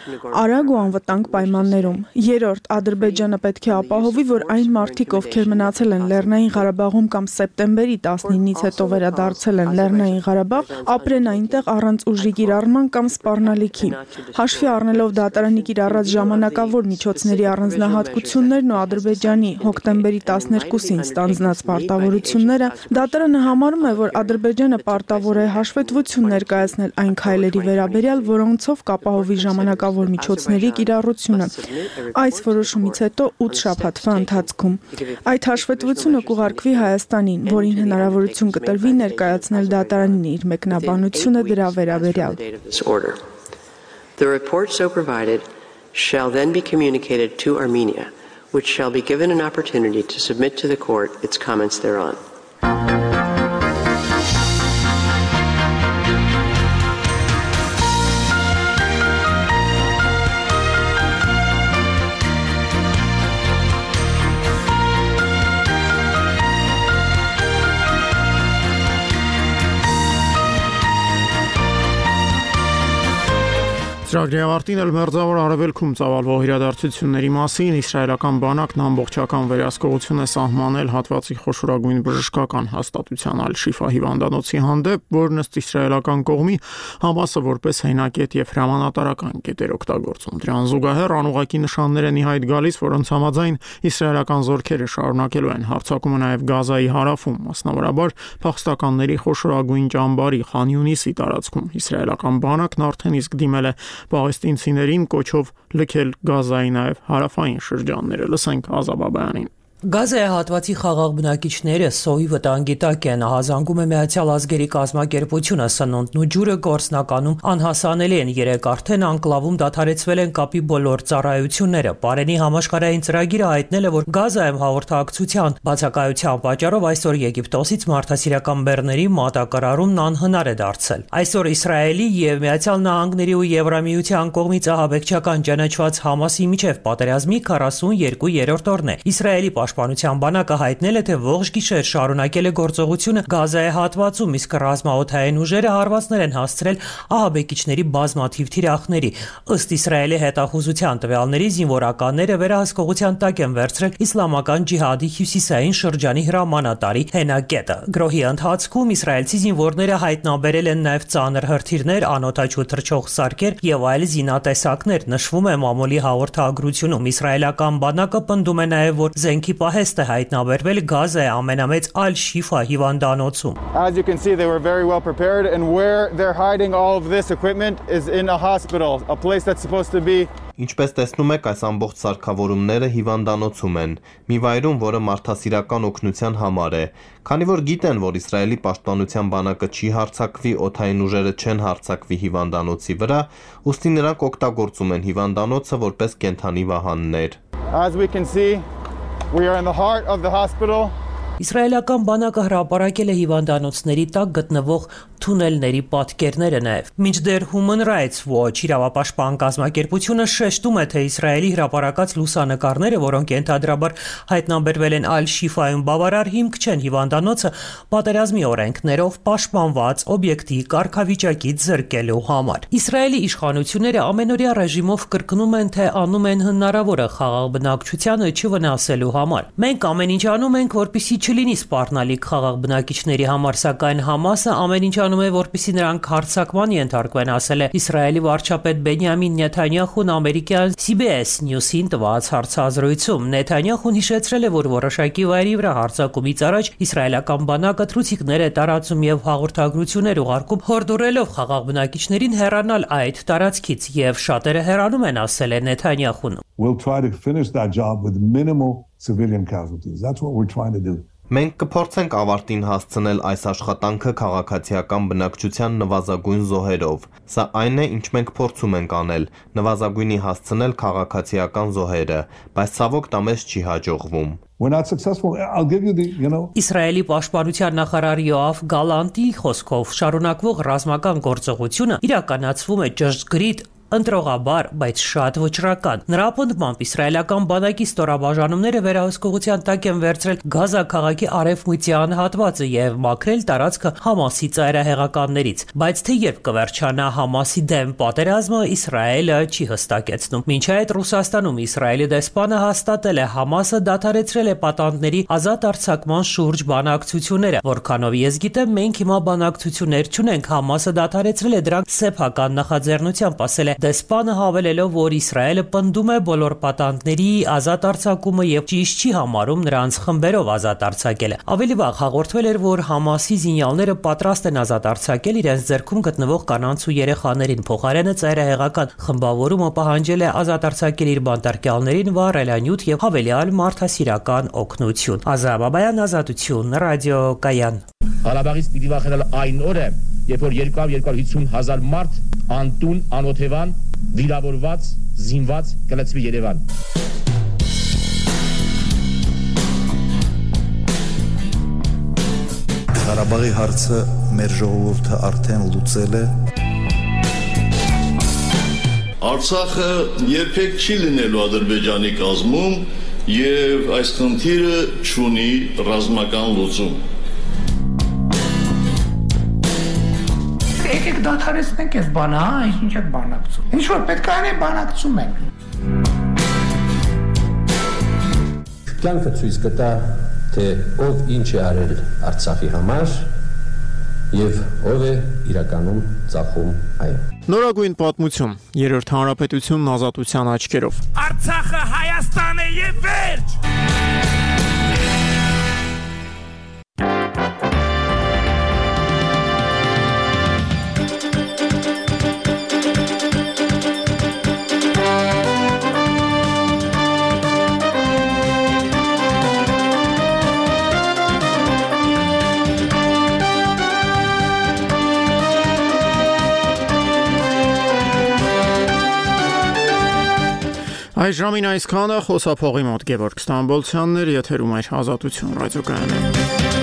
արագ ու անվտանգ պայմաններում։ Երրորդ, Ադրբեջանը պետք է ապահովի, որ այն մարդիկ, ովքեր մնացել են Լեռնային Ղարաբաղում կամ սեպտեմբերի տասնինից հետո վերադարձել են Լեռնային Ղարաբաղ, ապրեն այնտեղ առանց ուժի կիրառման կամ սպառնալիքի։ Հաշվի առնելով դատարանի կիրառած ժամանակավոր միջոցների առանձնահատկություններն ու Ադրբեջանի հոկտեմբերի տասներկուսին ստանձնած պարտավորությունները, դատարանը համարում է, որ Ադրբեջանը պարտավոր է հաշվետվություն ներկայացնել այն քայլերի վերաբերյալ, որոնցով կապահովի ժամանակավոր միջոցների կիրառությունը։ Այս որոշումից հետո ութ շաբաթվա ընթացքում այդ հաշվետվությունը կուղարկվի Հայաստանին, որին հնարավորություն կտրվի ներկայացնել դատարանին իր մեկնաբանությունը դրա վերաբերյալ։ The report so provided shall then be communicated to Armenia, which shall be given an opportunity to submit to the court its comments thereon. Ծրագրի ավարտին էլ մերձավոր արևելքում ծավալվող իրադարձությունների մասին իսրայելական բանակն ամբողջական վերահսկողություն է սահմանել հատվածի խոշորագույն բժշկական հաստատության Ալ-Շիֆա հիվանդանոցի հանդեպ, որն ըստ իսրայելական կողմի Համասը որպես հենակետ եւ հրամանատարական կետ էր օգտագործում։ Դրան զուգահեռ անուղղակի նշաններ են ի հայտ գալիս, որոնց համաձայն իսրայելական զորքերը շարունակելու են հարձակումը նաեւ Գազայի հարավում, մասնավորաբար փախստականների խոշորագույն ճամբարի Խան Յունիսի տարածքում։ Իսրայելական բանակն արդեն իսկ դիմել է պաղեստինցիներին կոչով լքել Գազայի նաև հարավային շրջանները։ Լսենք Ազաբաբյանին։ Գազայի հատվածի խաղաղ բնակիչները սոյի վտանգի տակ են, ահազանգում է Միացյալ Ազգերի կազմակերպությունը, սնունդն ու ջուրը գործնականում անհասանելի են, երեք արդեն անկլավում դադարեցվել են կապի բոլոր ծառայությունները։ Պարենի համաշխարհային ծրագիրը հայտնել է, որ Գազայում հաղորդակցության բացակայության պատճառով այսօր Եգիպտոսից մարդասիրական բեռների մատակարարումն անհնար է դարձել։ Այսօր Իսրայելի եւ Միացյալ Նահանգների ու Եվրամիության կողմից ահաբեկչական ճանաչված Համասի միջև պատերազմի քառասունյոթերորդ օրն է։ Իսրայելի պաշտպանության բանակը հայտնել է, թե ողջ գիշեր շարունակել է գործողությունը Գազայի հատվածում, իսկ ռազմաօդային ուժերը հարվածներ են հասցրել ահաբեկիչների բազմաթիվ թիրախների։ Ըստ Իսրայելի հետախուզության տվյալների զինվորականները վերահսկողության տակ են վերցրել իսլամական ջիհադի հյուսիսային շրջանի հրամանատարի հենակետը։ Գրոհի ընթացքում իսրայելցի զինվորները հայտնաբերել են նաև ծանր հրթիռներ, անօդաչու թռչող սարքեր եւ այլ զինատեսակներ։ Նշվում է մամուլի հաղորդագրությունում։ Իսրայելական բանակը պնդում է նաև, որ զենքի պահեստ է հայտնաբերվել Գազայի ամենամեծ Al-Shifa հիվանդանոցում։ As you can see, they were very well prepared, and where they're hiding all of this equipment is in a hospital, a place that's supposed to be. Ինչպես տեսնում եք, այս ամբողջ սարքավորումները հիվանդանոցում են, մի վայրում, որը մարդասիրական օգնության համար է, քանի որ գիտեն, որ Իսրայելի պաշտպանության բանակը չի հարձակվի, օդային ուժերը չեն հարձակվի հիվանդանոցի վրա, ուստի նրանք օգտագործում են հիվանդանոցը որպես կենդանի վահաններ։ As we can see, we are in the heart of the hospital. Իսրայելական բանակը հրապարակել է հիվանդանոցների տակ գտնվող թունելների պատկերները նաև։ Մինչդեռ Human Rights Watch իրավապաշտպան կազմակերպությունը շեշտում է, թե Իսրայելի հրապարակած լուսանկարները, որոնք ենթադրաբար հայտնաբերվել են Al-Shifa-ում, բավարար հիմք չեն հիվանդանոցը պատերազմի օրենքներով պաշտպանված օբյեկտի կարգավիճակից զրկելու համար։ Իսրայելի իշխանությունները ամենօրյա ռեժիմով կրկնում են, թե անում են հնարավորը խաղաղ բնակչությանը չվնասելու համար։ Մենք ամեն ինչ անում ենք, որպեսզի չլինի սպառնալիք խաղաղ բնակիչների համար, սակայն Համասը ամեն ինչ անում է, որպեսզի նրանք հարձակման ենթարկվեն, ասել է Իսրայելի վարչապետ Բենյամին Նեթանյախուն ամերիկյան C B S News-ին տված հարցազրույցում։ Նեթանյախուն հիշեցրել է, որ որոշակի վայրի վրա հարձակումից առաջ իսրայելական բանակը թռուցիկներ է տարածում եւ հաղորդագրություններ ուղարկում, հորդորելով խաղաղ բնակիչներին հեռանալ այդ տարածքից, եւ շատերը հեռանում են, ասել է Նեթանյախուն։ We'll try to finish that job with minimal civilian casualties. That's what we're trying to do. Մենք կփորձենք ավարտին հասցնել այս աշխատանքը քաղաքացիական բնակչության նվազագույն զոհերով։ Սա այն է, ինչ մենք փորձում ենք անել, նվազագույնի հասցնել քաղաքացիական զոհերը, բայց ցավոք դա մեզ չի հաջողվում։ We're not successful. I'll give you the, you know. Իսրայելի պաշտպանության նախարար Յոաֆ Գալանտի խոսքով շարունակվող ռազմական գործողությունը իրականացվում է ճշգրիտ ընտրողաբար, բայց շատ վճռական։ Նրա պնդմամբ իսրայելական բանակի ստորաբաժանումները վերահսկողության տակ են վերցրել Գազա քաղաքի արևմտյան հատվածը եւ մաքրել տարածքը Համասի ծայրահեղականներից, բայց թե երբ կվերջանա Համասի դեմ պատերազմը, Իսրայելը չի հստակեցնում։ Մինչ այդ Ռուսաստանում Իսրայելի դեսպանը հաստատել է Համասը դադարեցրել է պատանդների ազատ արձակման շուրջ բանակցությունները, որքանով ես գիտեմ, մենք հիմա բանակցություններ չունենք, Համասը դադարեցրել է դրանք սեփական նախաձեռնությամբ, ասել է դեսպանը, հավելելով, որ Իսրայելը պնդում է բոլոր պատանդների ազատ արձակումը եւ ճիշտ չի համարում նրանց խմբերով ազատ արձակելը։ Ավելի վաղ հաղորդվել էր, որ Համասի զինյալները պատրաստ են ազատ արձակել իրենց ձեռքում գտնվող կանանց ու երեխաներին, փոխարենը ծայրահեղական խմբավորումը պահանջել է ազատ արձակել իր բանտարկյալներին վառելանյութ եւ հավելյալ մարդասիրական օգնություն։ Ազատ Բաբայան, Ազատություն, ռադիոկայան։ Ղարաբաղից պիտի վախենալ այն օրը, երբ որ երկու հարյուր հինգ հազար մարդ անտուն, անօթևան, վիրավորված, զինված կլցվի Երևան։ Ղարաբաղի հարցը մեր ժողովուրդը արդեն լուծել է։ Արցախը երբեք չի լինելու Ադրբեջանի կազմում եւ այս խնդիրը չունի ռազմական լուծում։ Եկեք դադարեցնենք այս բանը, հա, ինչ եք բանակցում։ Ինչ որ պետք է անենք, բանակցում ենք։ Կյանքը ցույց կտա, թե ով ինչ է արել Արցախի համար եւ ով է իրականում ծախում այն։ Նորագույն պատմություն, երրորդ հանրապետությունն ազատության աչքերով։ Արցախը Հայաստան է եւ վերջ։ Այս ժամին այսքանը, խոսափողի մոտ Գևորգ Ստամբոլցյանն էր, եթերում էր Ազատություն ռադիոկայանը։